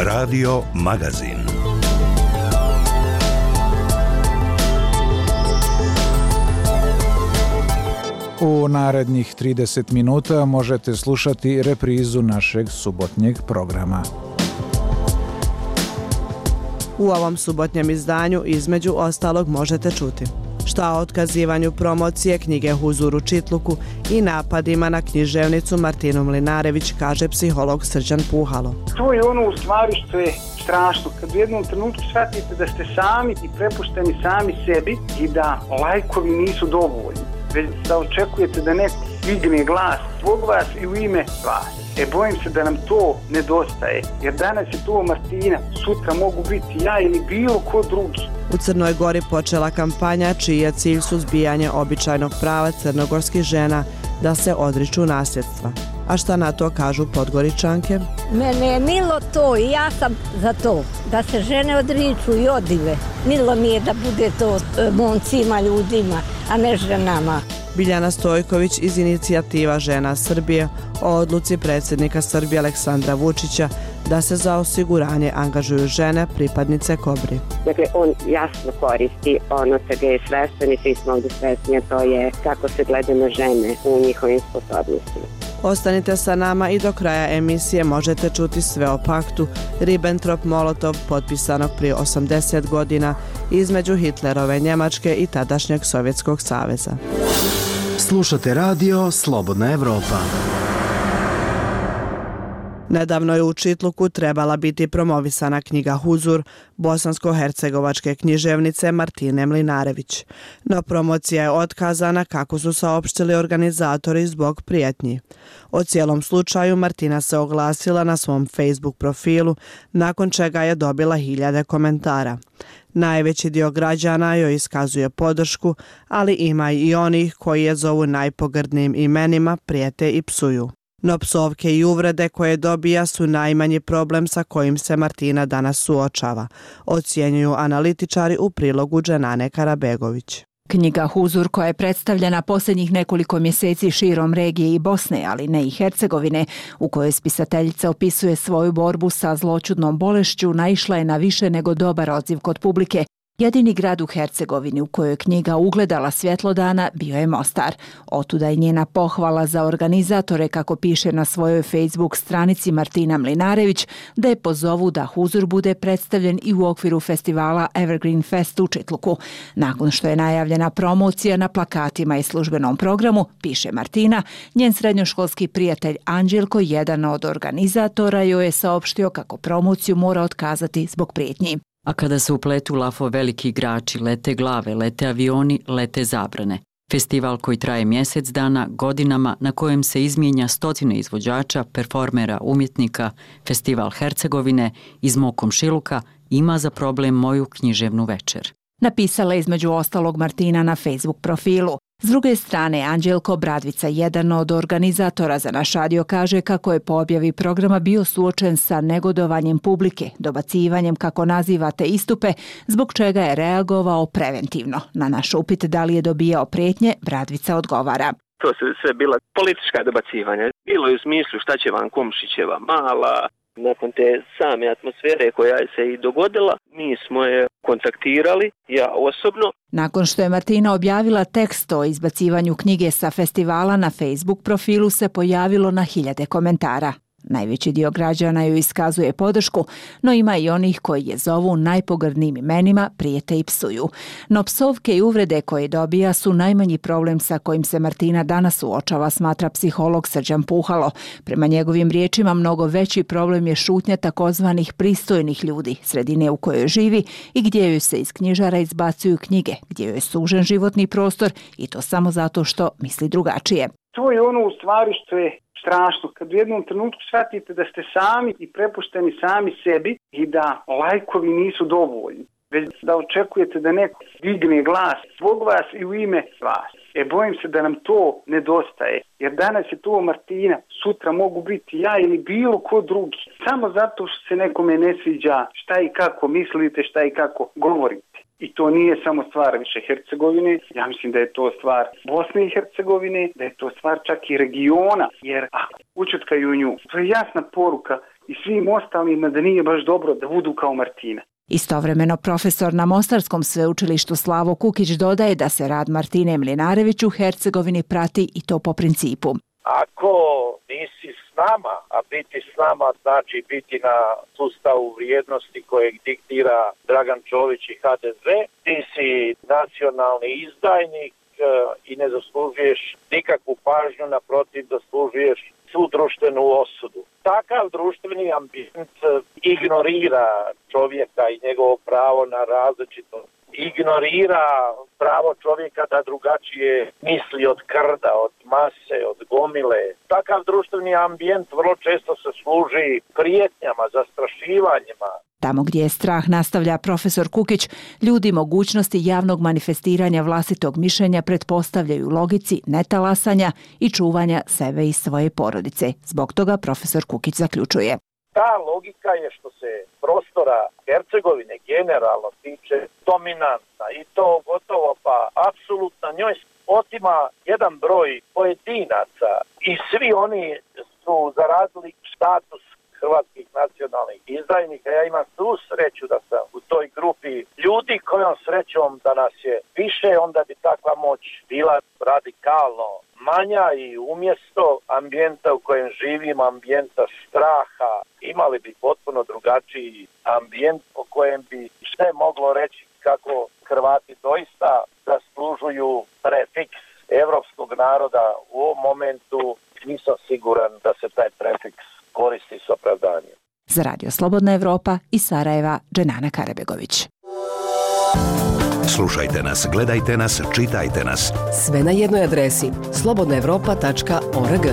Radio Magazin. U narednih trideset minuta možete slušati reprizu našeg subotnjeg programa. U ovom subotnjem izdanju između ostalog možete čuti šta o otkazivanju promocije knjige Huzur u Čitluku i napadima na književnicu Martinu Mlinarević, kaže psiholog Srđan Puhalo. To je ono u stvari što je strašno, kad u jednom trenutku shvatite da ste sami i prepušteni sami sebi i da lajkovi nisu dovoljni, već da očekujete da neko digne glas zbog vas i u ime vas. E, bojim se da nam to nedostaje, jer danas je to Martina, sutra mogu biti ja ili bilo ko drugi. U Crnoj Gori počela kampanja čiji je cilj suzbijanje običajnog prava crnogorskih žena da se odriču nasljedstva. A šta na to kažu Podgoričanke? Mene je milo to i ja sam za to, da se žene odriču i odive. Milo mi je da bude to momcima, ljudima, a ne ženama. Biljana Stojković iz inicijativa Žena Srbije o odluci predsjednika Srbije Aleksandra Vučića da se za osiguranje angažuju žene pripadnice Kobri. Dakle, on jasno koristi ono čega je svestan i svi smo ovdje svesni, a to je kako se gleda na žene u njihovim sposobnostima. Ostanite sa nama i do kraja emisije možete čuti sve o paktu Ribbentrop-Molotov potpisanog prije osamdeset godina između Hitlerove Njemačke i tadašnjeg Sovjetskog saveza. Slušate radio Slobodna Evropa. Nedavno je u Čitluku trebala biti promovisana knjiga Huzur bosansko-hercegovačke književnice Martine Mlinarević. No promocija je otkazana, kako su saopštili organizatori, zbog prijetnji. O cijelom slučaju Martina se oglasila na svom Facebook profilu, nakon čega je dobila hiljade komentara. Najveći dio građana joj iskazuje podršku, ali ima i onih koji je zovu najpogrdnijim imenima, prijete i psuju. No psovke i uvrede koje dobija su najmanji problem sa kojim se Martina danas suočava, ocjenjuju analitičari u prilogu Dženane Karabegović. Knjiga Huzur, koja je predstavljena posljednjih nekoliko mjeseci širom regije i Bosne, ali ne i Hercegovine, u kojoj spisateljica opisuje svoju borbu sa zloćudnom bolešću, naišla je na više nego dobar odziv kod publike. Jedini grad u Hercegovini u kojoj je knjiga ugledala svjetlo dana bio je Mostar. Otuda je njena pohvala za organizatore, kako piše na svojoj Facebook stranici Martina Mlinarević, da je pozovu da Huzur bude predstavljen i u okviru festivala Evergreen Fest u Čitluku. Nakon što je najavljena promocija na plakatima i službenom programu, piše Martina, njen srednjoškolski prijatelj Anđelko, jedan od organizatora, joj je saopštio kako promociju mora otkazati zbog prijetnji. A kada se upletu lafo veliki igrači, lete glave, lete avioni, lete zabrane. Festival koji traje mjesec dana, godinama, na kojem se izmijenja stotine izvođača, performera, umjetnika, Festival Hercegovine iz mog komšiluka ima za problem moju književnu večer. Napisala je između ostalog Martina na Facebook profilu. S druge strane, Anđelko Bradvica, jedan od organizatora za naš radio, kaže kako je po objavi programa bio suočen sa negodovanjem publike, dobacivanjem, kako nazivate, istupe, zbog čega je reagovao preventivno. Na naš upit da li je dobijao prijetnje, Bradvica odgovara. To su sve bila politička dobacivanja. Bilo je u smislu šta će vam Komšićeva mala. Nakon te same atmosfere koja se i dogodila, mi smo je kontaktirali, ja osobno. Nakon što je Martina objavila tekst o izbacivanju knjige sa festivala, na Facebook profilu se pojavilo na hiljade komentara. Najveći dio građana joj iskazuje podršku, no ima i onih koji je zovu najpogrdnijim imenima, prijete i psuju. No psovke i uvrede koje dobija su najmanji problem sa kojim se Martina danas suočava, smatra psiholog Srđan Puhalo. Prema njegovim riječima, mnogo veći problem je šutnja takozvanih pristojnih ljudi, sredine u kojoj živi i gdje joj se iz knjižara izbacuju knjige, gdje joj je sužen životni prostor i to samo zato što misli drugačije. To je ono u stvari što je strašno, kad u jednom trenutku shvatite da ste sami i prepušteni sami sebi i da lajkovi nisu dovoljni, već da očekujete da neko digne glas zbog vas i u ime vas. E, bojim se da nam to nedostaje, jer danas je to Martina, sutra mogu biti ja ili bilo ko drugi, samo zato što se nekome ne sviđa šta i kako mislite, šta i kako govorite. I to nije samo stvar više Hercegovine, ja mislim da je to stvar Bosne i Hercegovine, da je to stvar čak i regiona, jer ako učutkaju nju, to je jasna poruka i svim ostalima da nije baš dobro da budu kao Martina. Istovremeno profesor na Mostarskom sveučilištu Slavo Kukić dodaje da se rad Martine Mlinarević u Hercegovini prati i to po principu. Ako nisi s nama, a biti s nama znači biti na sustavu vrijednosti kojeg diktira Dragan Čović i ha de ze, ti si nacionalni izdajnik i ne zaslužuješ nikakvu pažnju, naprotiv zaslužuješ svu društvenu osudu. Takav društveni ambijent ignorira čovjeka i njegovo pravo na različito. Ignorira pravo čovjeka da drugačije misli od krda, od mase, od gomile. Takav društveni ambijent vrlo često se služi prijetnjama, zastrašivanjima. Tamo gdje je strah, nastavlja profesor Kukić, ljudi mogućnosti javnog manifestiranja vlastitog mišljenja pretpostavljaju logici netalasanja i čuvanja sebe i svoje porodice. Zbog toga profesor Kukić zaključuje. Ta logika je što se prostora Hercegovine generalno tiče dominantna i to gotovo pa apsolutno njoj otima jedan broj pojedinaca i svi oni su zaradili status hrvatskih nacionalnih izdajnika. Ja imam tu sreću da sam u toj grupi ljudi kojom srećom da nas je više, onda bi takva moć bila radikalno manja i umjesto ambijenta u kojem živim, ambijenta straha, imali bi potpuno drugačiji ambijent po kojem bi sve moglo reći kako Hrvati doista zaslužuju prefiks evropskog naroda. U ovom momentu nisam siguran da se taj prefiks koristi s opravdanjem. Za Radio Slobodna Evropa iz Sarajeva, Dženana Karabegović. Slušajte nas, gledajte nas, čitajte nas. Sve na jednoj adresi slobodna evropa tačka org.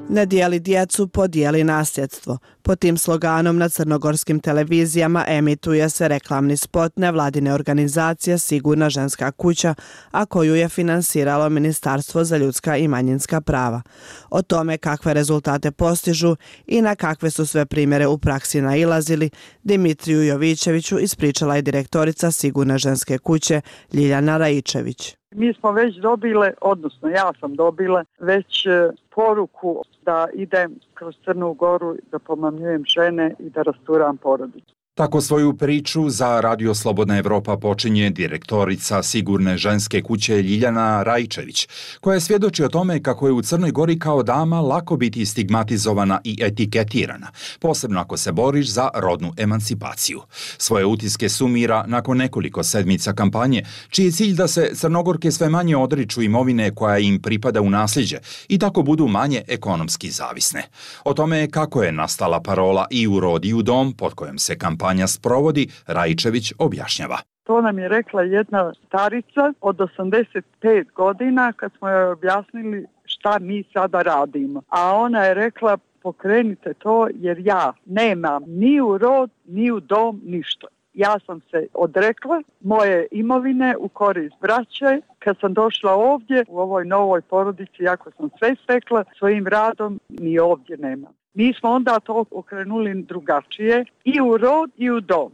Ne dijeli djecu, podijeli nasljedstvo. Po tim sloganom na crnogorskim televizijama emituje se reklamni spot nevladine organizacije Sigurna ženska kuća, a koju je finansiralo Ministarstvo za ljudska i manjinska prava. O tome kakve rezultate postižu i na kakve su sve primjere u praksi nailazili, Dimitriju Jovićeviću ispričala je direktorica Sigurne ženske kuće Ljiljana Raičević. Mi smo već dobile, odnosno ja sam dobila već poruku da idem kroz Crnu Goru da pomamljujem žene i da rasturam porodicu. Tako svoju priču za Radio Slobodna Evropa počinje direktorica Sigurne ženske kuće Ljiljana Raičević, koja svjedoči o tome kako je u Crnoj Gori kao dama lako biti stigmatizovana i etiketirana, posebno ako se boriš za rodnu emancipaciju. Svoje utiske sumira nakon nekoliko sedmica kampanje, čiji je cilj da se Crnogorke sve manje odriču imovine koja im pripada u nasljeđe i tako budu manje ekonomski zavisne. O tome kako je nastala parola I u rod i u dom, pod kojom se kampanja kampanja sprovodi, Raičević objašnjava. To nam je rekla jedna starica od osamdeset pet godina kad smo joj objasnili šta mi sada radimo. A ona je rekla pokrenite to jer ja nemam ni u rod, ni u dom, ništa. Ja sam se odrekla moje imovine u korist braće. Kad sam došla ovdje u ovoj novoj porodici, jako sam sve stekla svojim radom, ni ovdje nemam. Mi smo onda to okrenuli drugačije i u rod i u dom.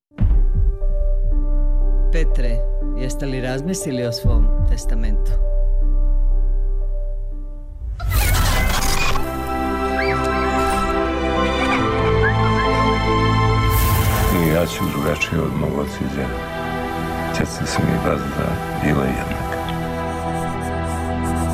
Petre, jeste li razmislili o svom testamentu? I ja ću drugačije od mog oca i djeda. Djeca su mi bazda bila jednaka.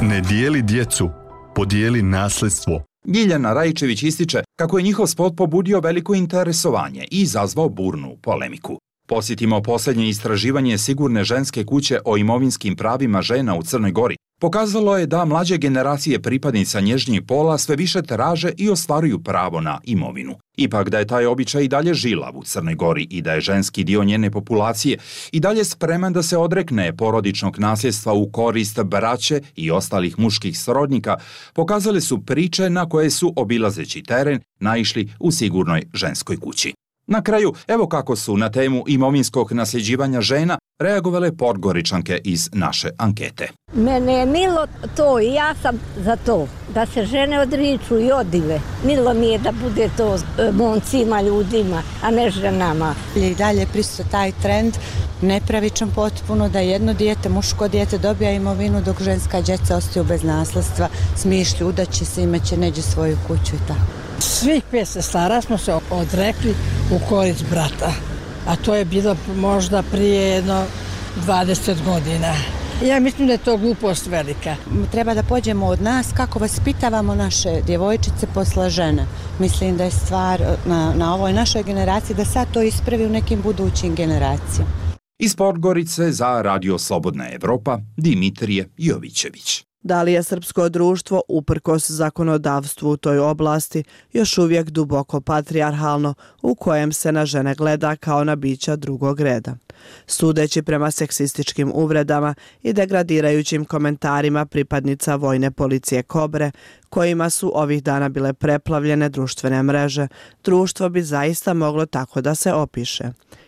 Ne dijeli djecu, podijeli nasledstvo. Ljiljana Rajčević ističe kako je njihov spot pobudio veliko interesovanje i izazvao burnu polemiku. Posjetimo posljednje istraživanje Sigurne ženske kuće o imovinskim pravima žena u Crnoj Gori. Pokazalo je da mlađe generacije pripadnica nježnjeg pola sve više traže i ostvaruju pravo na imovinu. Ipak da je taj običaj i dalje žilav u Crnoj Gori i da je ženski dio njene populacije i dalje spreman da se odrekne porodičnog nasljedstva u korist braće i ostalih muških srodnika, pokazale su priče na koje su, obilazeći teren, naišli u Sigurnoj ženskoj kući. Na kraju, evo kako su na temu imovinskog nasljeđivanja žena reagovale Podgoričanke iz naše ankete. Mene je milo to i ja sam za to, da se žene odriču i odive. Milo mi je da bude to momcima, ljudima, a ne ženama. I dalje prisutan taj trend, nepravičan potpuno, da jedno dijete, muško dijete dobija imovinu dok ženska djeca ostaju bez nasledstva, smišlju, udaće se, imaće neđe svoju kuću i tako. Svih pet sestara smo se odrekli u korist brata, a to je bilo možda prije jedno dvadeset godina. Ja mislim da je to glupost velika. Treba da pođemo od nas kako vaspitavamo naše djevojčice posle žene. Mislim da je stvar na, na ovoj našoj generaciji da sad to ispravi u nekim budućim generacijama. Iz Podgorice za Radio Slobodna Evropa, Dimitrije Jovićević. Da li je srpsko društvo, uprkos zakonodavstvu u toj oblasti, još uvijek duboko patrijarhalno, u kojem se na žene gleda kao na bića drugog reda? Sudeći prema seksističkim uvredama i degradirajućim komentarima pripadnica vojne policije Kobre, kojima su ovih dana bile preplavljene društvene mreže, društvo bi zaista moglo tako da se opiše,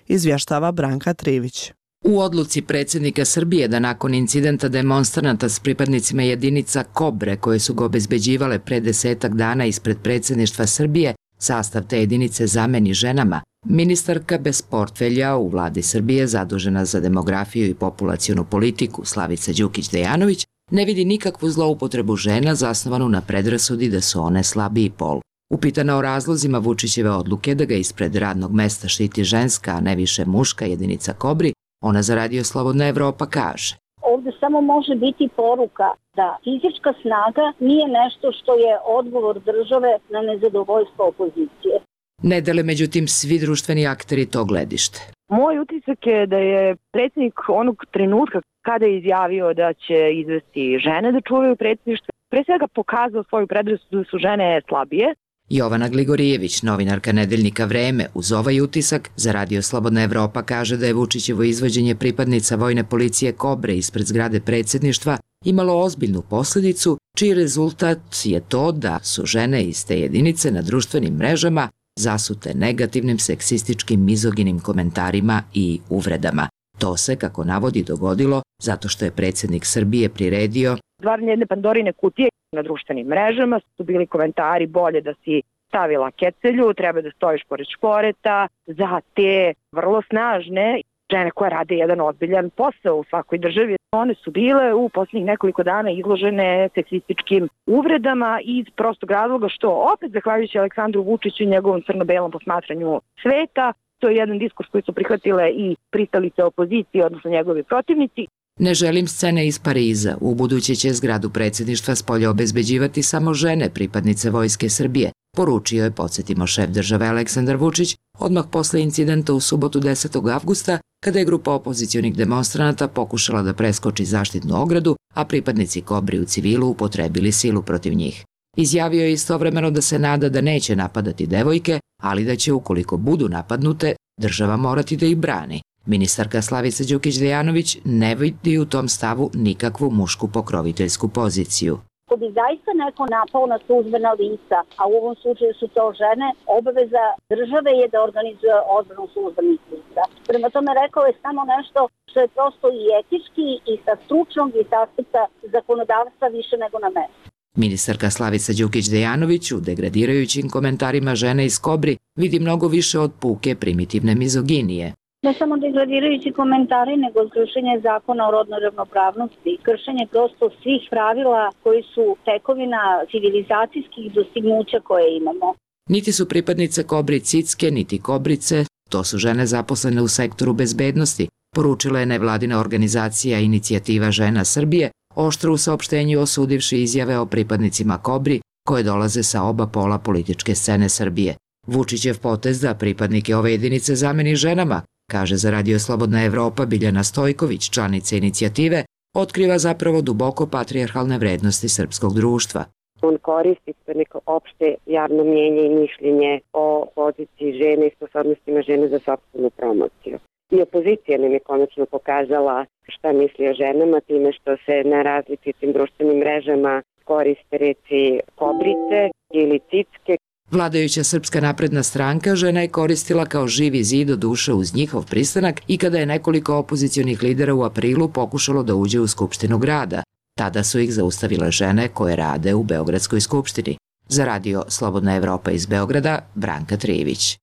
izvještava Branka Trivić. U odluci predsjednika Srbije da nakon incidenta demonstranata s pripadnicima jedinica Kobre koje su ga obezbeđivale pre desetak dana ispred predsjedništva Srbije, sastav te jedinice zameni ženama, ministarka bez portfelja u vladi Srbije zadužena za demografiju i populacionu politiku Slavica Đukić-Dejanović ne vidi nikakvu zloupotrebu žena zasnovanu na predrasudi da su one slabiji pol. Upitana o razlozima Vučićeve odluke da ga ispred radnog mesta štiti ženska, a ne više muška jedinica Kobri, ona za Radio Slobodna Evropa kaže. Ovdje samo može biti poruka da fizička snaga nije nešto što je odgovor države na nezadovoljstvo opozicije. Ne dele međutim svi društveni akteri to gledište. Moj utisak je da je predsjednik onog trenutka kada je izjavio da će izvesti žene da čuvaju predsjedništvo, pre svega pokazao svoju predrasudu da su žene slabije. Jovana Gligorijević, novinarka nedeljnika Vreme, uz ovaj utisak za Radio Slobodna Evropa kaže da je Vučićevo izvođenje pripadnica vojne policije Kobre ispred zgrade predsjedništva imalo ozbiljnu posljedicu, čiji rezultat je to da su žene iz te jedinice na društvenim mrežama zasute negativnim seksističkim mizoginim komentarima i uvredama. To se, kako navodi, dogodilo zato što je predsjednik Srbije priredio stvaranje jedne Pandorine kutije. Na društvenim mrežama su bili komentari bolje da si stavila kecelju, treba da stojiš pored šporeta, za te vrlo snažne žene koje rade jedan ozbiljan posao u svakoj državi. One su bile u posljednjih nekoliko dana izložene seksističkim uvredama iz prostog razloga što opet zahvaljujući Aleksandru Vučiću i njegovom crno-belom posmatranju sveta, to je jedan diskurs koji su prihvatile i pristalice opozicije, odnosno njegovi protivnici. Ne želim scene iz Pariza. U buduće će zgradu predsjedništva spolja obezbeđivati samo žene pripadnice Vojske Srbije, poručio je, podsjetimo, šef države Aleksandar Vučić, odmah posle incidenta u subotu desetog avgusta, kada je grupa opozicionih demonstranata pokušala da preskoči zaštitnu ogradu, a pripadnici Kobri u civilu upotrebili silu protiv njih. Izjavio je istovremeno da se nada da neće napadati devojke, ali da će, ukoliko budu napadnute, država morati da ih brani. Ministarka Slavica Đukić-Dejanović ne vidi u tom stavu nikakvu mušku pokroviteljsku poziciju. Ako bi zaista neko napao na službena lica, a u ovom slučaju su to žene, obaveza države je da organizuje odbranu službenih lica. Prema tome rekao je samo nešto što je prosto i etički i sa stručnog i sa aspekta zakonodavstva više nego na mestu. Ministarka Slavica Đukić-Dejanović u degradirajućim komentarima žene iz Kobri vidi mnogo više od puke primitivne mizoginije. Ne samo degradirajući komentari, nego kršenje zakona o rodnoj ravnopravnosti, kršenje prosto svih pravila koji su tekovina civilizacijskih dostignuća koje imamo. Niti su pripadnice Kobri cicke, niti Kobrice, to su žene zaposlene u sektoru bezbednosti, poručila je nevladina organizacija Inicijativa žena Srbije, oštro u saopštenju osudivši izjave o pripadnicima Kobri koje dolaze sa oba pola političke scene Srbije. Vučićev potez da pripadnike ove jedinice zameni ženama, kaže za Radio Slobodna Evropa Biljana Stojković, članica inicijative, otkriva zapravo duboko patrijarhalne vrednosti srpskog društva. On koristi neko opšte javno mnjenje i mišljenje o poziciji žene i sposobnostima žene za sopstvenu promociju. I opozicija nam je konačno pokazala šta misli o ženama time što se na različitim društvenim mrežama koriste reci kobrice ili cicke. Vladajuća Srpska napredna stranka žena je koristila kao živi zid do duše uz njihov pristanak i kada je nekoliko opozicionih lidera u aprilu pokušalo da uđe u Skupštinu grada. Tada su ih zaustavile žene koje rade u Beogradskoj skupštini. Za Radio Slobodna Evropa iz Beograda, Branka Trijević.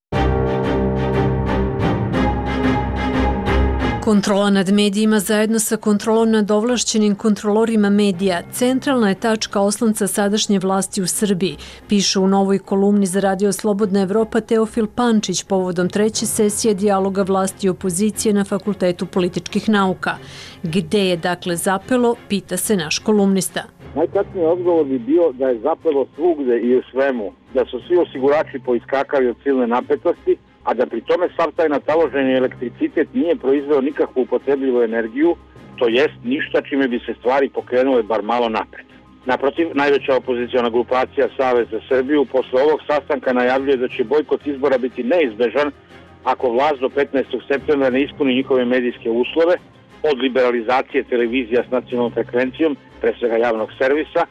Kontrola nad medijima zajedno sa kontrolom nad ovlašćenim kontrolorima medija centralna je tačka oslonca sadašnje vlasti u Srbiji, piše u novoj kolumni za Radio Slobodna Evropa Teofil Pančić povodom treće sesije dijaloga vlasti i opozicije na Fakultetu političkih nauka. Gde je dakle zapelo, pita se naš kolumnista. Najkasniji odgovor bi bio da je zapelo svugde i u svemu, da su svi osigurači poiskakali od silne napetosti, a da pri tome sav taj nataloženi elektricitet nije proizveo nikakvu upotrebljivu energiju, to jest ništa čime bi se stvari pokrenule bar malo napred. Naprotiv, najveća opoziciona grupacija Savez za Srbiju posle ovog sastanka najavljuje da će bojkot izbora biti neizbežan ako vlast do petnaestog septembra ne ispuni njihove medijske uslove, od liberalizacije televizija s nacionalnom frekvencijom, pre svega javnog servisa,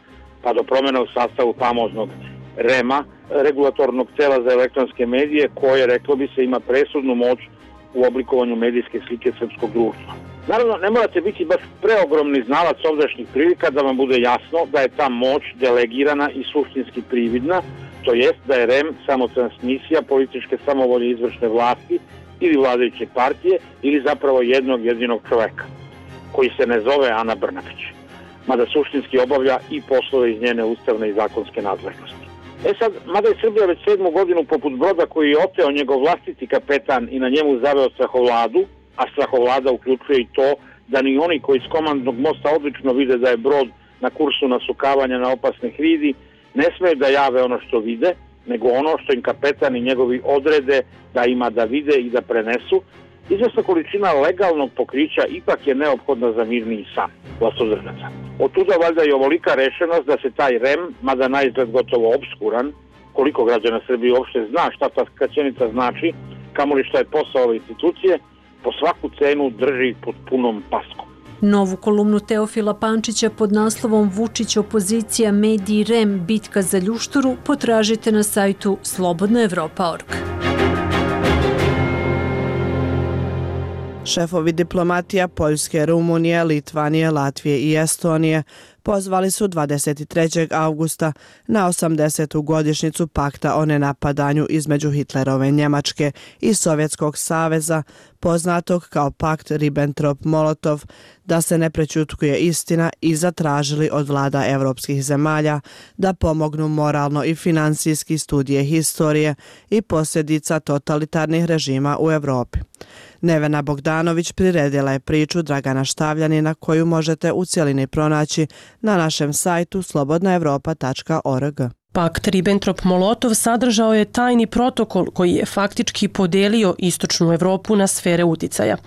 pa do promjena u sastavu famoznog rema, regulatornog tela za elektronske medije, koje, reklo bi se, ima presudnu moć u oblikovanju medijske slike srpskog društva. Naravno, ne morate biti baš preogromni znalac ovdašnjih prilika da vam bude jasno da je ta moć delegirana i suštinski prividna, to jest da je rem samo transmisija političke samovolje izvršne vlasti ili vladajuće partije ili zapravo jednog jedinog čoveka, koji se ne zove Ana Brnabić, mada suštinski obavlja i poslove iz njene ustavne i zakonske nadležnosti. E sad, mada je Srbija već sedmu godinu poput broda koji je oteo njegov vlastiti kapetan i na njemu zaveo strahovladu, a strahovlada uključuje i to da ni oni koji s komandnog mosta odlično vide da je brod na kursu nasukavanja na opasne hridi, ne smeju da jave ono što vide, nego ono što im kapetan i njegovi odrede da ima da vide i da prenesu. Izvesna količina legalnog pokrića ipak je neophodna za mirniji san vlastodržaca. Od tuda valjda i ovolika rešenost da se taj rem, mada na izgled gotovo obskuran, koliko građana Srbije uopšte zna šta ta skraćenica znači, kamoli šta je posao ove institucije, po svaku cenu drži pod punom paskom. Novu kolumnu Teofila Pančića pod naslovom Vučić opozicija mediji rem bitka za ljušturu potražite na sajtu slobodna evropa tačka org. Šefovi diplomatija Poljske, Rumunije, Litvanije, Latvije i Estonije pozvali su dvadeset trećeg avgusta na osamdesetu godišnjicu pakta o nenapadanju između Hitlerove Njemačke i Sovjetskog saveza, poznatog kao pakt Ribbentrop-Molotov, da se ne prećutkuje istina i zatražili od vlada evropskih zemalja da pomognu moralno i finansijski studije historije i posljedica totalitarnih režima u Evropi. Nevena Bogdanović priredila je priču Dragana Štavljanina koju možete u cjelini pronaći na našem sajtu slobodna evropa tačka org. Pakt Ribbentrop-Molotov sadržao je tajni protokol koji je faktički podelio istočnu Evropu na sfere uticaja.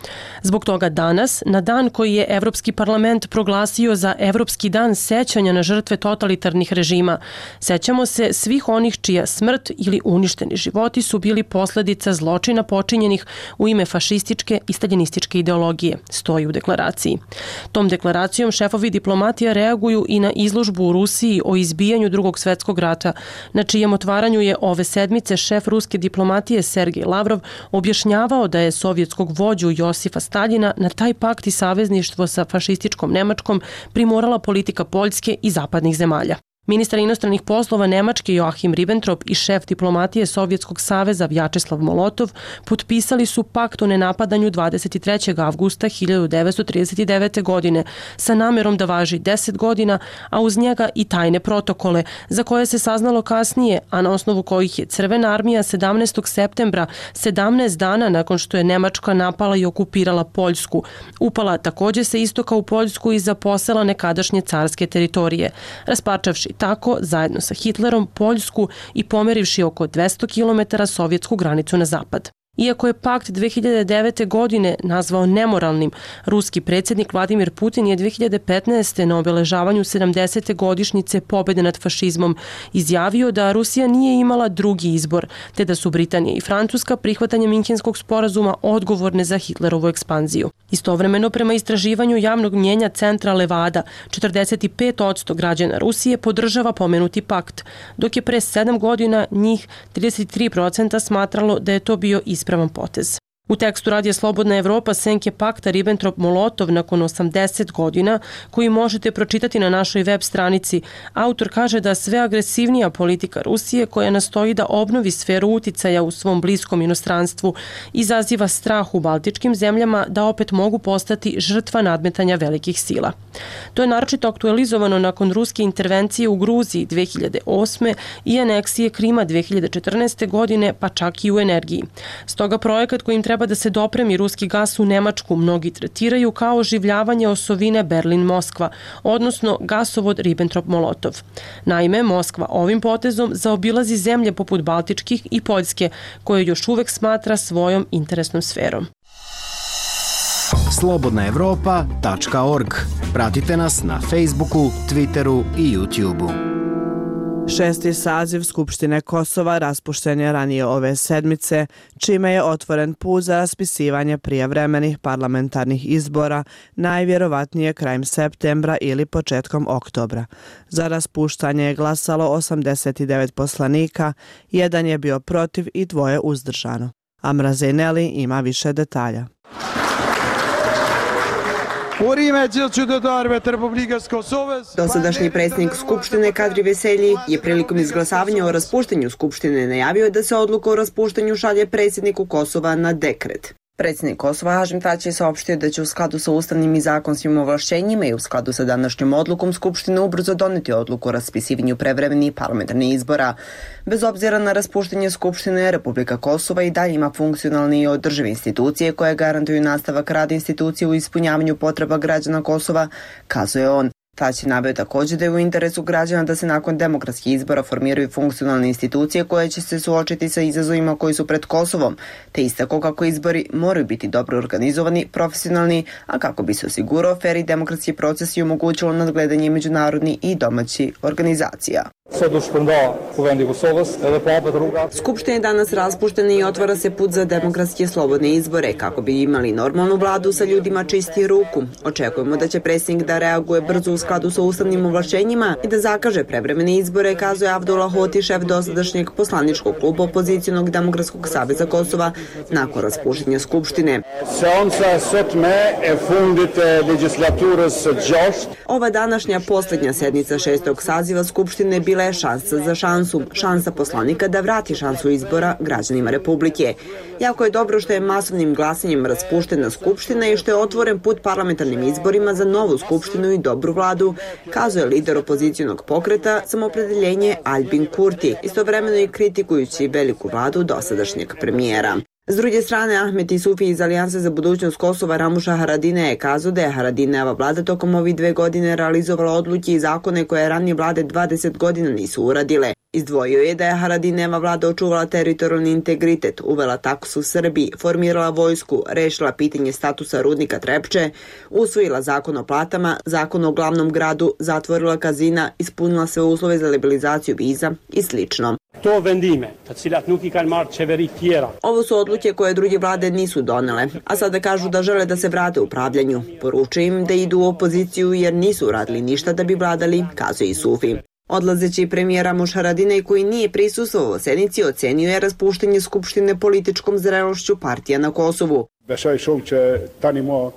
Zbog toga danas, na dan koji je Evropski parlament proglasio za Evropski dan sećanja na žrtve totalitarnih režima, sećamo se svih onih čija smrt ili uništeni životi su bili posljedica zločina počinjenih u ime fašističke i staljinističke ideologije, stoji u deklaraciji. Tom deklaracijom šefovi diplomatija reaguju i na izložbu u Rusiji o izbijanju Drugog svjetskog rata, na čijem otvaranju je ove sedmice šef ruske diplomatije Sergej Lavrov objašnjavao da je sovjetskog vođu Josifa Staljina na taj pakt i savezništvo sa fašističkom Nemačkom primorala politika Poljske i zapadnih zemalja. Ministar inostranih poslova Nemačke Joachim Ribbentrop i šef diplomatije Sovjetskog saveza Vjačeslav Molotov potpisali su pakt o nenapadanju dvadeset trećeg avgusta hiljadu devetsto trideset devete. godine sa namerom da važi deset godina, a uz njega i tajne protokole za koje se saznalo kasnije, a na osnovu kojih je Crvena armija sedamnaestog septembra, sedamnaest dana nakon što je Nemačka napala i okupirala Poljsku, upala takođe sa istoka u Poljsku i zaposela nekadašnje carske teritorije, rasparčavši tako, zajedno sa Hitlerom, Poljsku i pomerivši oko dvesta kilometara sovjetsku granicu na zapad. Iako je pakt dve hiljade devete. godine nazvao nemoralnim, ruski predsjednik Vladimir Putin je dve hiljade petnaeste. na obeležavanju sedamdesete godišnjice pobjede nad fašizmom izjavio da Rusija nije imala drugi izbor, te da su Britanija i Francuska prihvatanjem Minhenskog sporazuma odgovorne za Hitlerovu ekspanziju. Istovremeno, prema istraživanju javnog mnjenja centra Levada, četrdeset pet posto građana Rusije podržava pomenuti pakt, dok je pre sedam godina njih trideset tri posto smatralo da je to bio ispravan potez. U tekstu Radija Slobodna Evropa senke pakta Ribbentrop-Molotov nakon osamdeset godina, koji možete pročitati na našoj web stranici, autor kaže da sve agresivnija politika Rusije, koja nastoji da obnovi sferu uticaja u svom bliskom inostranstvu, izaziva strah u baltičkim zemljama da opet mogu postati žrtva nadmetanja velikih sila. To je naročito aktualizovano nakon ruske intervencije u Gruziji dve hiljade osme. i aneksije Krima dve hiljade četrnaeste. godine, pa čak i u energiji. Stoga projekat kojim treba da se dopremi ruski gas u Nemačku mnogi tretiraju kao oživljavanje osovine Berlin-Moskva, odnosno gasovod Ribbentrop-Molotov. Naime, Moskva ovim potezom zaobilazi zemlje poput Baltičkih i Poljske, koje još uvek smatra svojom interesnom sferom. slobodna evropa tačka org. Pratite nas na Facebooku, Twitteru i YouTubeu. Šesti saziv Skupštine Kosova raspušten je ranije ove sedmice, čime je otvoren put za raspisivanje prijevremenih parlamentarnih izbora, najvjerovatnije krajem septembra ili početkom oktobra. Za raspuštanje je glasalo osamdeset devet poslanika, jedan je bio protiv i dvoje uzdržano. Amra Zejneli ima više detalja. Dosadašnji predsjednik Skupštine Kadri Veselji je prilikom izglasavanja o raspuštanju Skupštine najavio da se odluka o raspuštanju šalje predsjedniku Kosova na dekret. Predsjednik Kosova Hašim Tači je saopštio da će u skladu sa ustavnim i zakonskim ovlašćenjima i u skladu sa današnjom odlukom Skupštine ubrzo doneti odluku o raspisivanju prevremenih parlamentarnih izbora. Bez obzira na raspuštanje Skupštine, Republika Kosova i dalje ima funkcionalne i održive institucije koje garantuju nastavak rada institucije u ispunjavanju potreba građana Kosova, kazuje on. Tač je naveo također da je u interesu građana da se nakon demokratskih izbora formiraju funkcionalne institucije koje će se suočiti sa izazovima koji su pred Kosovom, te istako kako izbori moraju biti dobro organizovani, profesionalni, a kako bi se osigurao fer i demokratski proces i omogućilo nadgledanje međunarodnih i domaćih organizacija. Skupština je danas raspuštena i otvara se put za demokratske slobodne izbore kako bi imali normalnu vladu sa ljudima čisti ruku. Očekujemo da će predsjednik da reaguje brzo u skladu sa ustavnim ovlašćenjima i da zakaže prevremene izbore, kazuje Avdullah Hoti, šef dosadašnjeg poslaničkog kluba Opozicijonog demokratskog saveza Kosova nakon raspuštenja Skupštine. Ova današnja posljednja sednica šestog saziva Skupštine bila je šansa za šansu, šansa poslanika da vrati šansu izbora građanima Republike. Jako je dobro što je masovnim glasanjem raspuštena Skupština i što je otvoren put parlamentarnim izborima za novu Skupštinu i dobru vladu, kazuje lider opozicijonog pokreta Samoopredjeljenje Albin Kurti, istovremeno i kritikujući veliku vladu dosadašnjeg premijera. S druge strane, Ahmet Isufi iz Alijanse za budućnost Kosova Ramuša Haradine je kazao da je Haradineva vlada tokom ovih dve godine realizovala odluke i zakone koje ranije vlade dvadeset godina nisu uradile. Izdvojio je da je Haradineva vlada očuvala teritorijalni integritet, uvela taksu u Srbiji, formirala vojsku, rešila pitanje statusa rudnika Trepče, usvojila zakon o platama, zakon o glavnom gradu, zatvorila kazina, ispunila sve uslove za liberalizaciju viza i slično. Ovo su odluke koje druge vlade nisu donele, a sada kažu da žele da se vrate u upravljanju. Poručuju im da idu u opoziciju jer nisu uradili ništa da bi vladali, kazuje Isufi. Odlazeći premijer Ramuš Haradinaj, koji nije prisustvovao sednici, ocenio je raspuštanje Skupštine političkom zrelošću partija na Kosovu.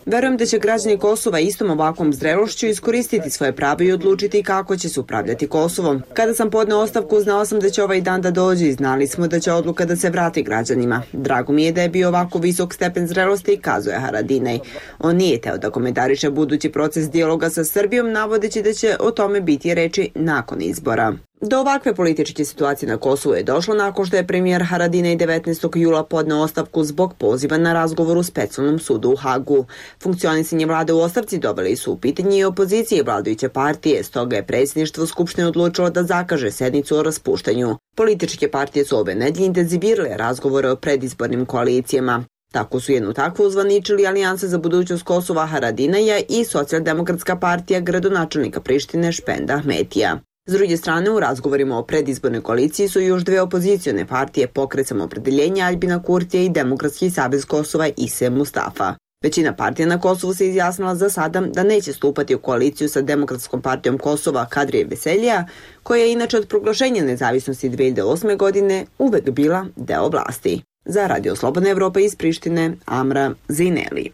Verujem da će građani Kosova istom ovakvom zrelošću iskoristiti svoje pravo i odlučiti kako će se upravljati Kosovom. Kada sam podneo ostavku, znao sam da će ovaj dan da dođe i znali smo da će odluka da se vrati građanima. Drago mi je da je bio ovako visok stepen zrelosti, kazuje Haradinaj. On nije teo da komentariše budući proces dijaloga sa Srbijom, navodeći da će o tome biti reči nakon izbora. Do ovakve političke situacije na Kosovu je došlo nakon što je premijer Haradinaj devetnaestog jula podneo ostavku zbog poziva na razgovor u specijalnom sudu u Hagu. Funkcionisanje vlade u ostavci doveli su u pitanje i opozicije i vladajuće partije, stoga je predsjedništvo Skupštine odlučilo da zakaže sednicu o raspuštanju. Političke partije su ove nedelje intenzivirale razgovore o predizbornim koalicijama. Tako su jednu takvu uzvaničili Alijansa za budućnost Kosova Haradinaja i Socijaldemokratska partija gradonačelnika Prištine Špenda Ahmetija. S druge strane, u razgovorima o predizbornoj koaliciji su još dve opozicione partije, Pokret Samoopredeljenja Aljbina Kurtija i Demokratski savez Kosova Ise Mustafa. Većina partija na Kosovu se izjasnila za sada da neće stupati u koaliciju sa Demokratskom partijom Kosova Kadrije Veselija, koja je inače od proglašenja nezavisnosti dve hiljade osme. godine uvek bila deo vlasti. Za Radio Slobodna Evropa iz Prištine, Amra Zineli.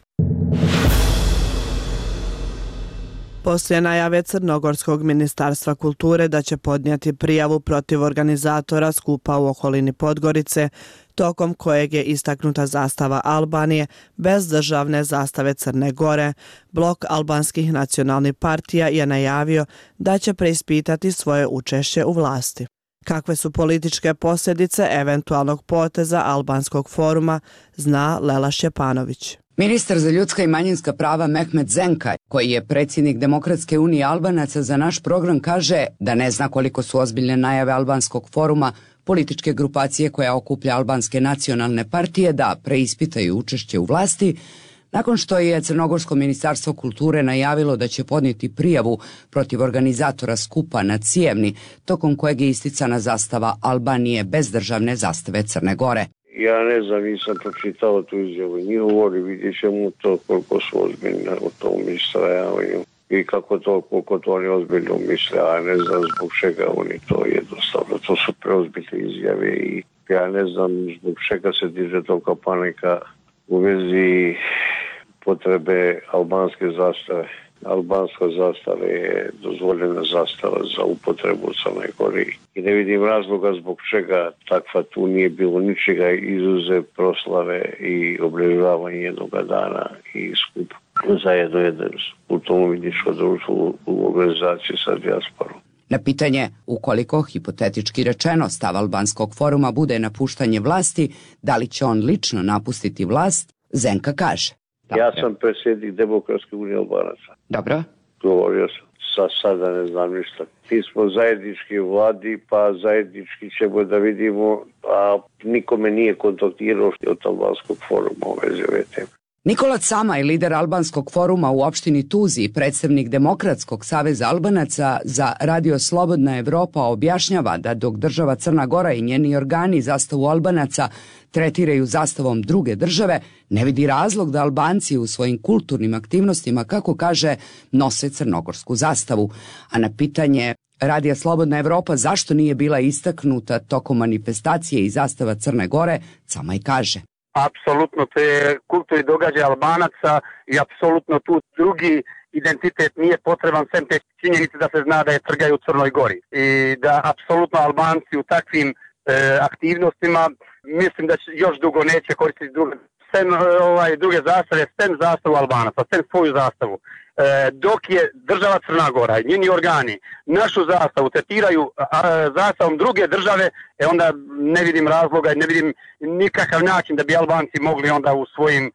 Poslije najave Crnogorskog ministarstva kulture da će podnijeti prijavu protiv organizatora skupa u okolini Podgorice, tokom kojeg je istaknuta zastava Albanije bez državne zastave Crne Gore, blok albanskih nacionalnih partija je najavio da će preispitati svoje učešće u vlasti. Kakve su političke posljedice eventualnog poteza Albanskog foruma, zna Lela Šćepanović. Ministar za ljudska i manjinska prava Mehmet Zenka, koji je predsjednik Demokratske unije Albanaca, za naš program kaže da ne zna koliko su ozbiljne najave Albanskog foruma, političke grupacije koja okuplja albanske nacionalne partije, da preispitaju učešće u vlasti, nakon što je Crnogorsko ministarstvo kulture najavilo da će podnijeti prijavu protiv organizatora skupa na Cijevni, tokom kojeg je isticana zastava Albanije bez državne zastave Crne Gore. Ja ne znam, nisam pročitao tu izjavu njihovu, ali vidjet ćemo to koliko su ozbiljni u tom istrajavanju i kako to, koliko to oni ozbiljno misle, a ne znam zbog čega oni to jednostavno. To su preozbiljne izjave i ja ne znam zbog čega se diže toliko panika u vezi potrebe albanske zastave. Albanska zastava je dozvoljena zastava za upotrebu u Crnoj Gori i ne vidim razloga zbog čega takva tu nije bilo ničega izuzev proslave i obilježavanje jednog dana i skup zajedno jedan kulturno-umjetničko društvo u organizaciji sa dijasporom. Na pitanje ukoliko, hipotetički rečeno, stav Albanskog foruma bude napuštanje vlasti, da li će on lično napustiti vlast, Zenka kaže. Ja sam predsjednik Demokratske unije Albanaca. Dobro. Govorio sam, sa sada ne znam ništa. Mi smo zajednički u vladi, pa zajednički ćemo da vidimo, a nikome nije kontaktirao od Albanskog foruma u vezi ove teme. Nikola Camaj, lider Albanskog foruma u opštini Tuzi i predstavnik Demokratskog saveza Albanaca za Radio Slobodna Evropa objašnjava da dok država Crna Gora i njeni organi zastavu Albanaca tretiraju zastavom druge države, ne vidi razlog da Albanci u svojim kulturnim aktivnostima, kako kaže, nose crnogorsku zastavu. A na pitanje Radija Slobodna Evropa zašto nije bila istaknuta tokom manifestacije i zastava Crne Gore, Camaj kaže. Apsolutno, to je kulturni događaj Albanaca i apsolutno tu drugi identitet nije potreban sem te činjenice da se zna da je trgaju u Crnoj Gori. I da apsolutno Albanci u takvim e, aktivnostima mislim da će još dugo neće koristiti druge, sem, ovaj, druge zastave, sem zastavu Albanaca, sem svoju zastavu. E, dok je država Crna Gora i njeni organi našu zastavu tretiraju a, zastavom druge države, e onda ne vidim razloga i ne vidim nikakav način da bi Albanci mogli onda u svojim e,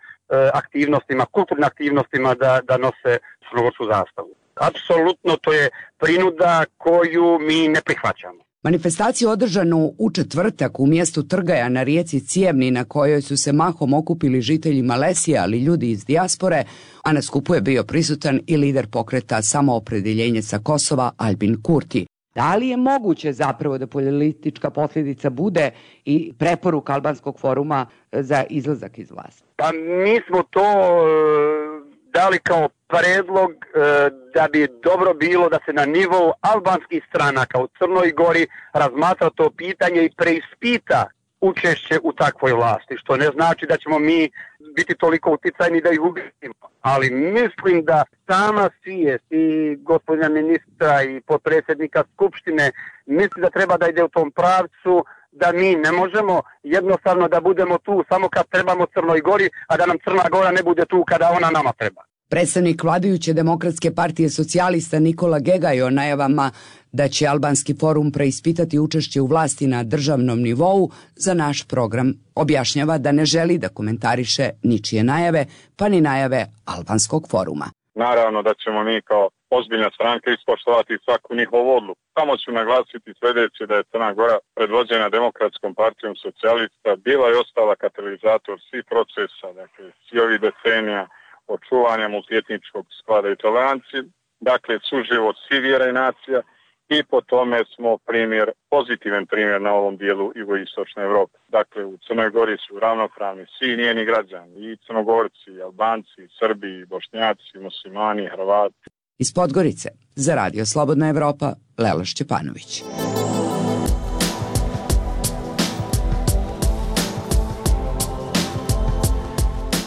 aktivnostima, kulturnim aktivnostima da, da nose crnogorsku zastavu. Apsolutno to je prinuda koju mi ne prihvaćamo. Manifestaciju održanu u četvrtak u mjestu Trgaja na rijeci Cijevni, na kojoj su se mahom okupili žitelji Malesije, ali ljudi iz dijaspore, a na skupu je bio prisutan i lider pokreta Samoopredeljenje sa Kosova Aljbin Kurti. Da li je moguće zapravo da politička posljedica bude i preporuka Albanskog foruma za izlazak iz vlasti? Pa mi smo to dali kao predlog e, da bi dobro bilo da se na nivou albanskih stranaka u Crnoj Gori razmatra to pitanje i preispita učešće u takvoj vlasti, što ne znači da ćemo mi biti toliko uticajni da ih ubijemo. Ali mislim da sama svijest i gospodina ministra i potpredsjednika Skupštine misli da treba da ide u tom pravcu, da mi ne možemo jednostavno da budemo tu samo kad trebamo Crnoj Gori, a da nam Crna Gora ne bude tu kada ona nama treba. Predstavnik vladajuće Demokratske partije socijalista Nikola Gegaj o najavama da će Albanski forum preispitati učešće u vlasti na državnom nivou za naš program objašnjava da ne želi da komentariše ničije najave, pa ni najave Albanskog foruma. Naravno da ćemo mi kao ozbiljna stranka ispoštovati svaku njihovu odluku. Samo ću naglasiti sljedeće da je Crna Gora predvođena Demokratskom partijom socijalista bila i ostala katalizator svih procesa, dakle svi ovih decenija očuvanja multietničkog sklada i tolerancije, dakle suživot svih vjera i nacija i po tome smo primjer, pozitivan primjer na ovom dijelu jugoistočne Evrope. Dakle u Crnoj Gori su ravnopravni svi njeni građani, i Crnogorci, i Albanci, i Srbi, i Bošnjaci, i Muslimani, i Hrvati. Iz Podgorice za Radio Slobodna Evropa, Lela Šćepanović.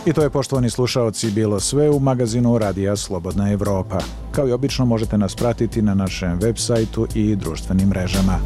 I to je, poštovani slušaoci, bilo sve u magazinu Radija Slobodna Evropa. Kao i obično možete nas pratiti na našem web sajtu i društvenim mrežama.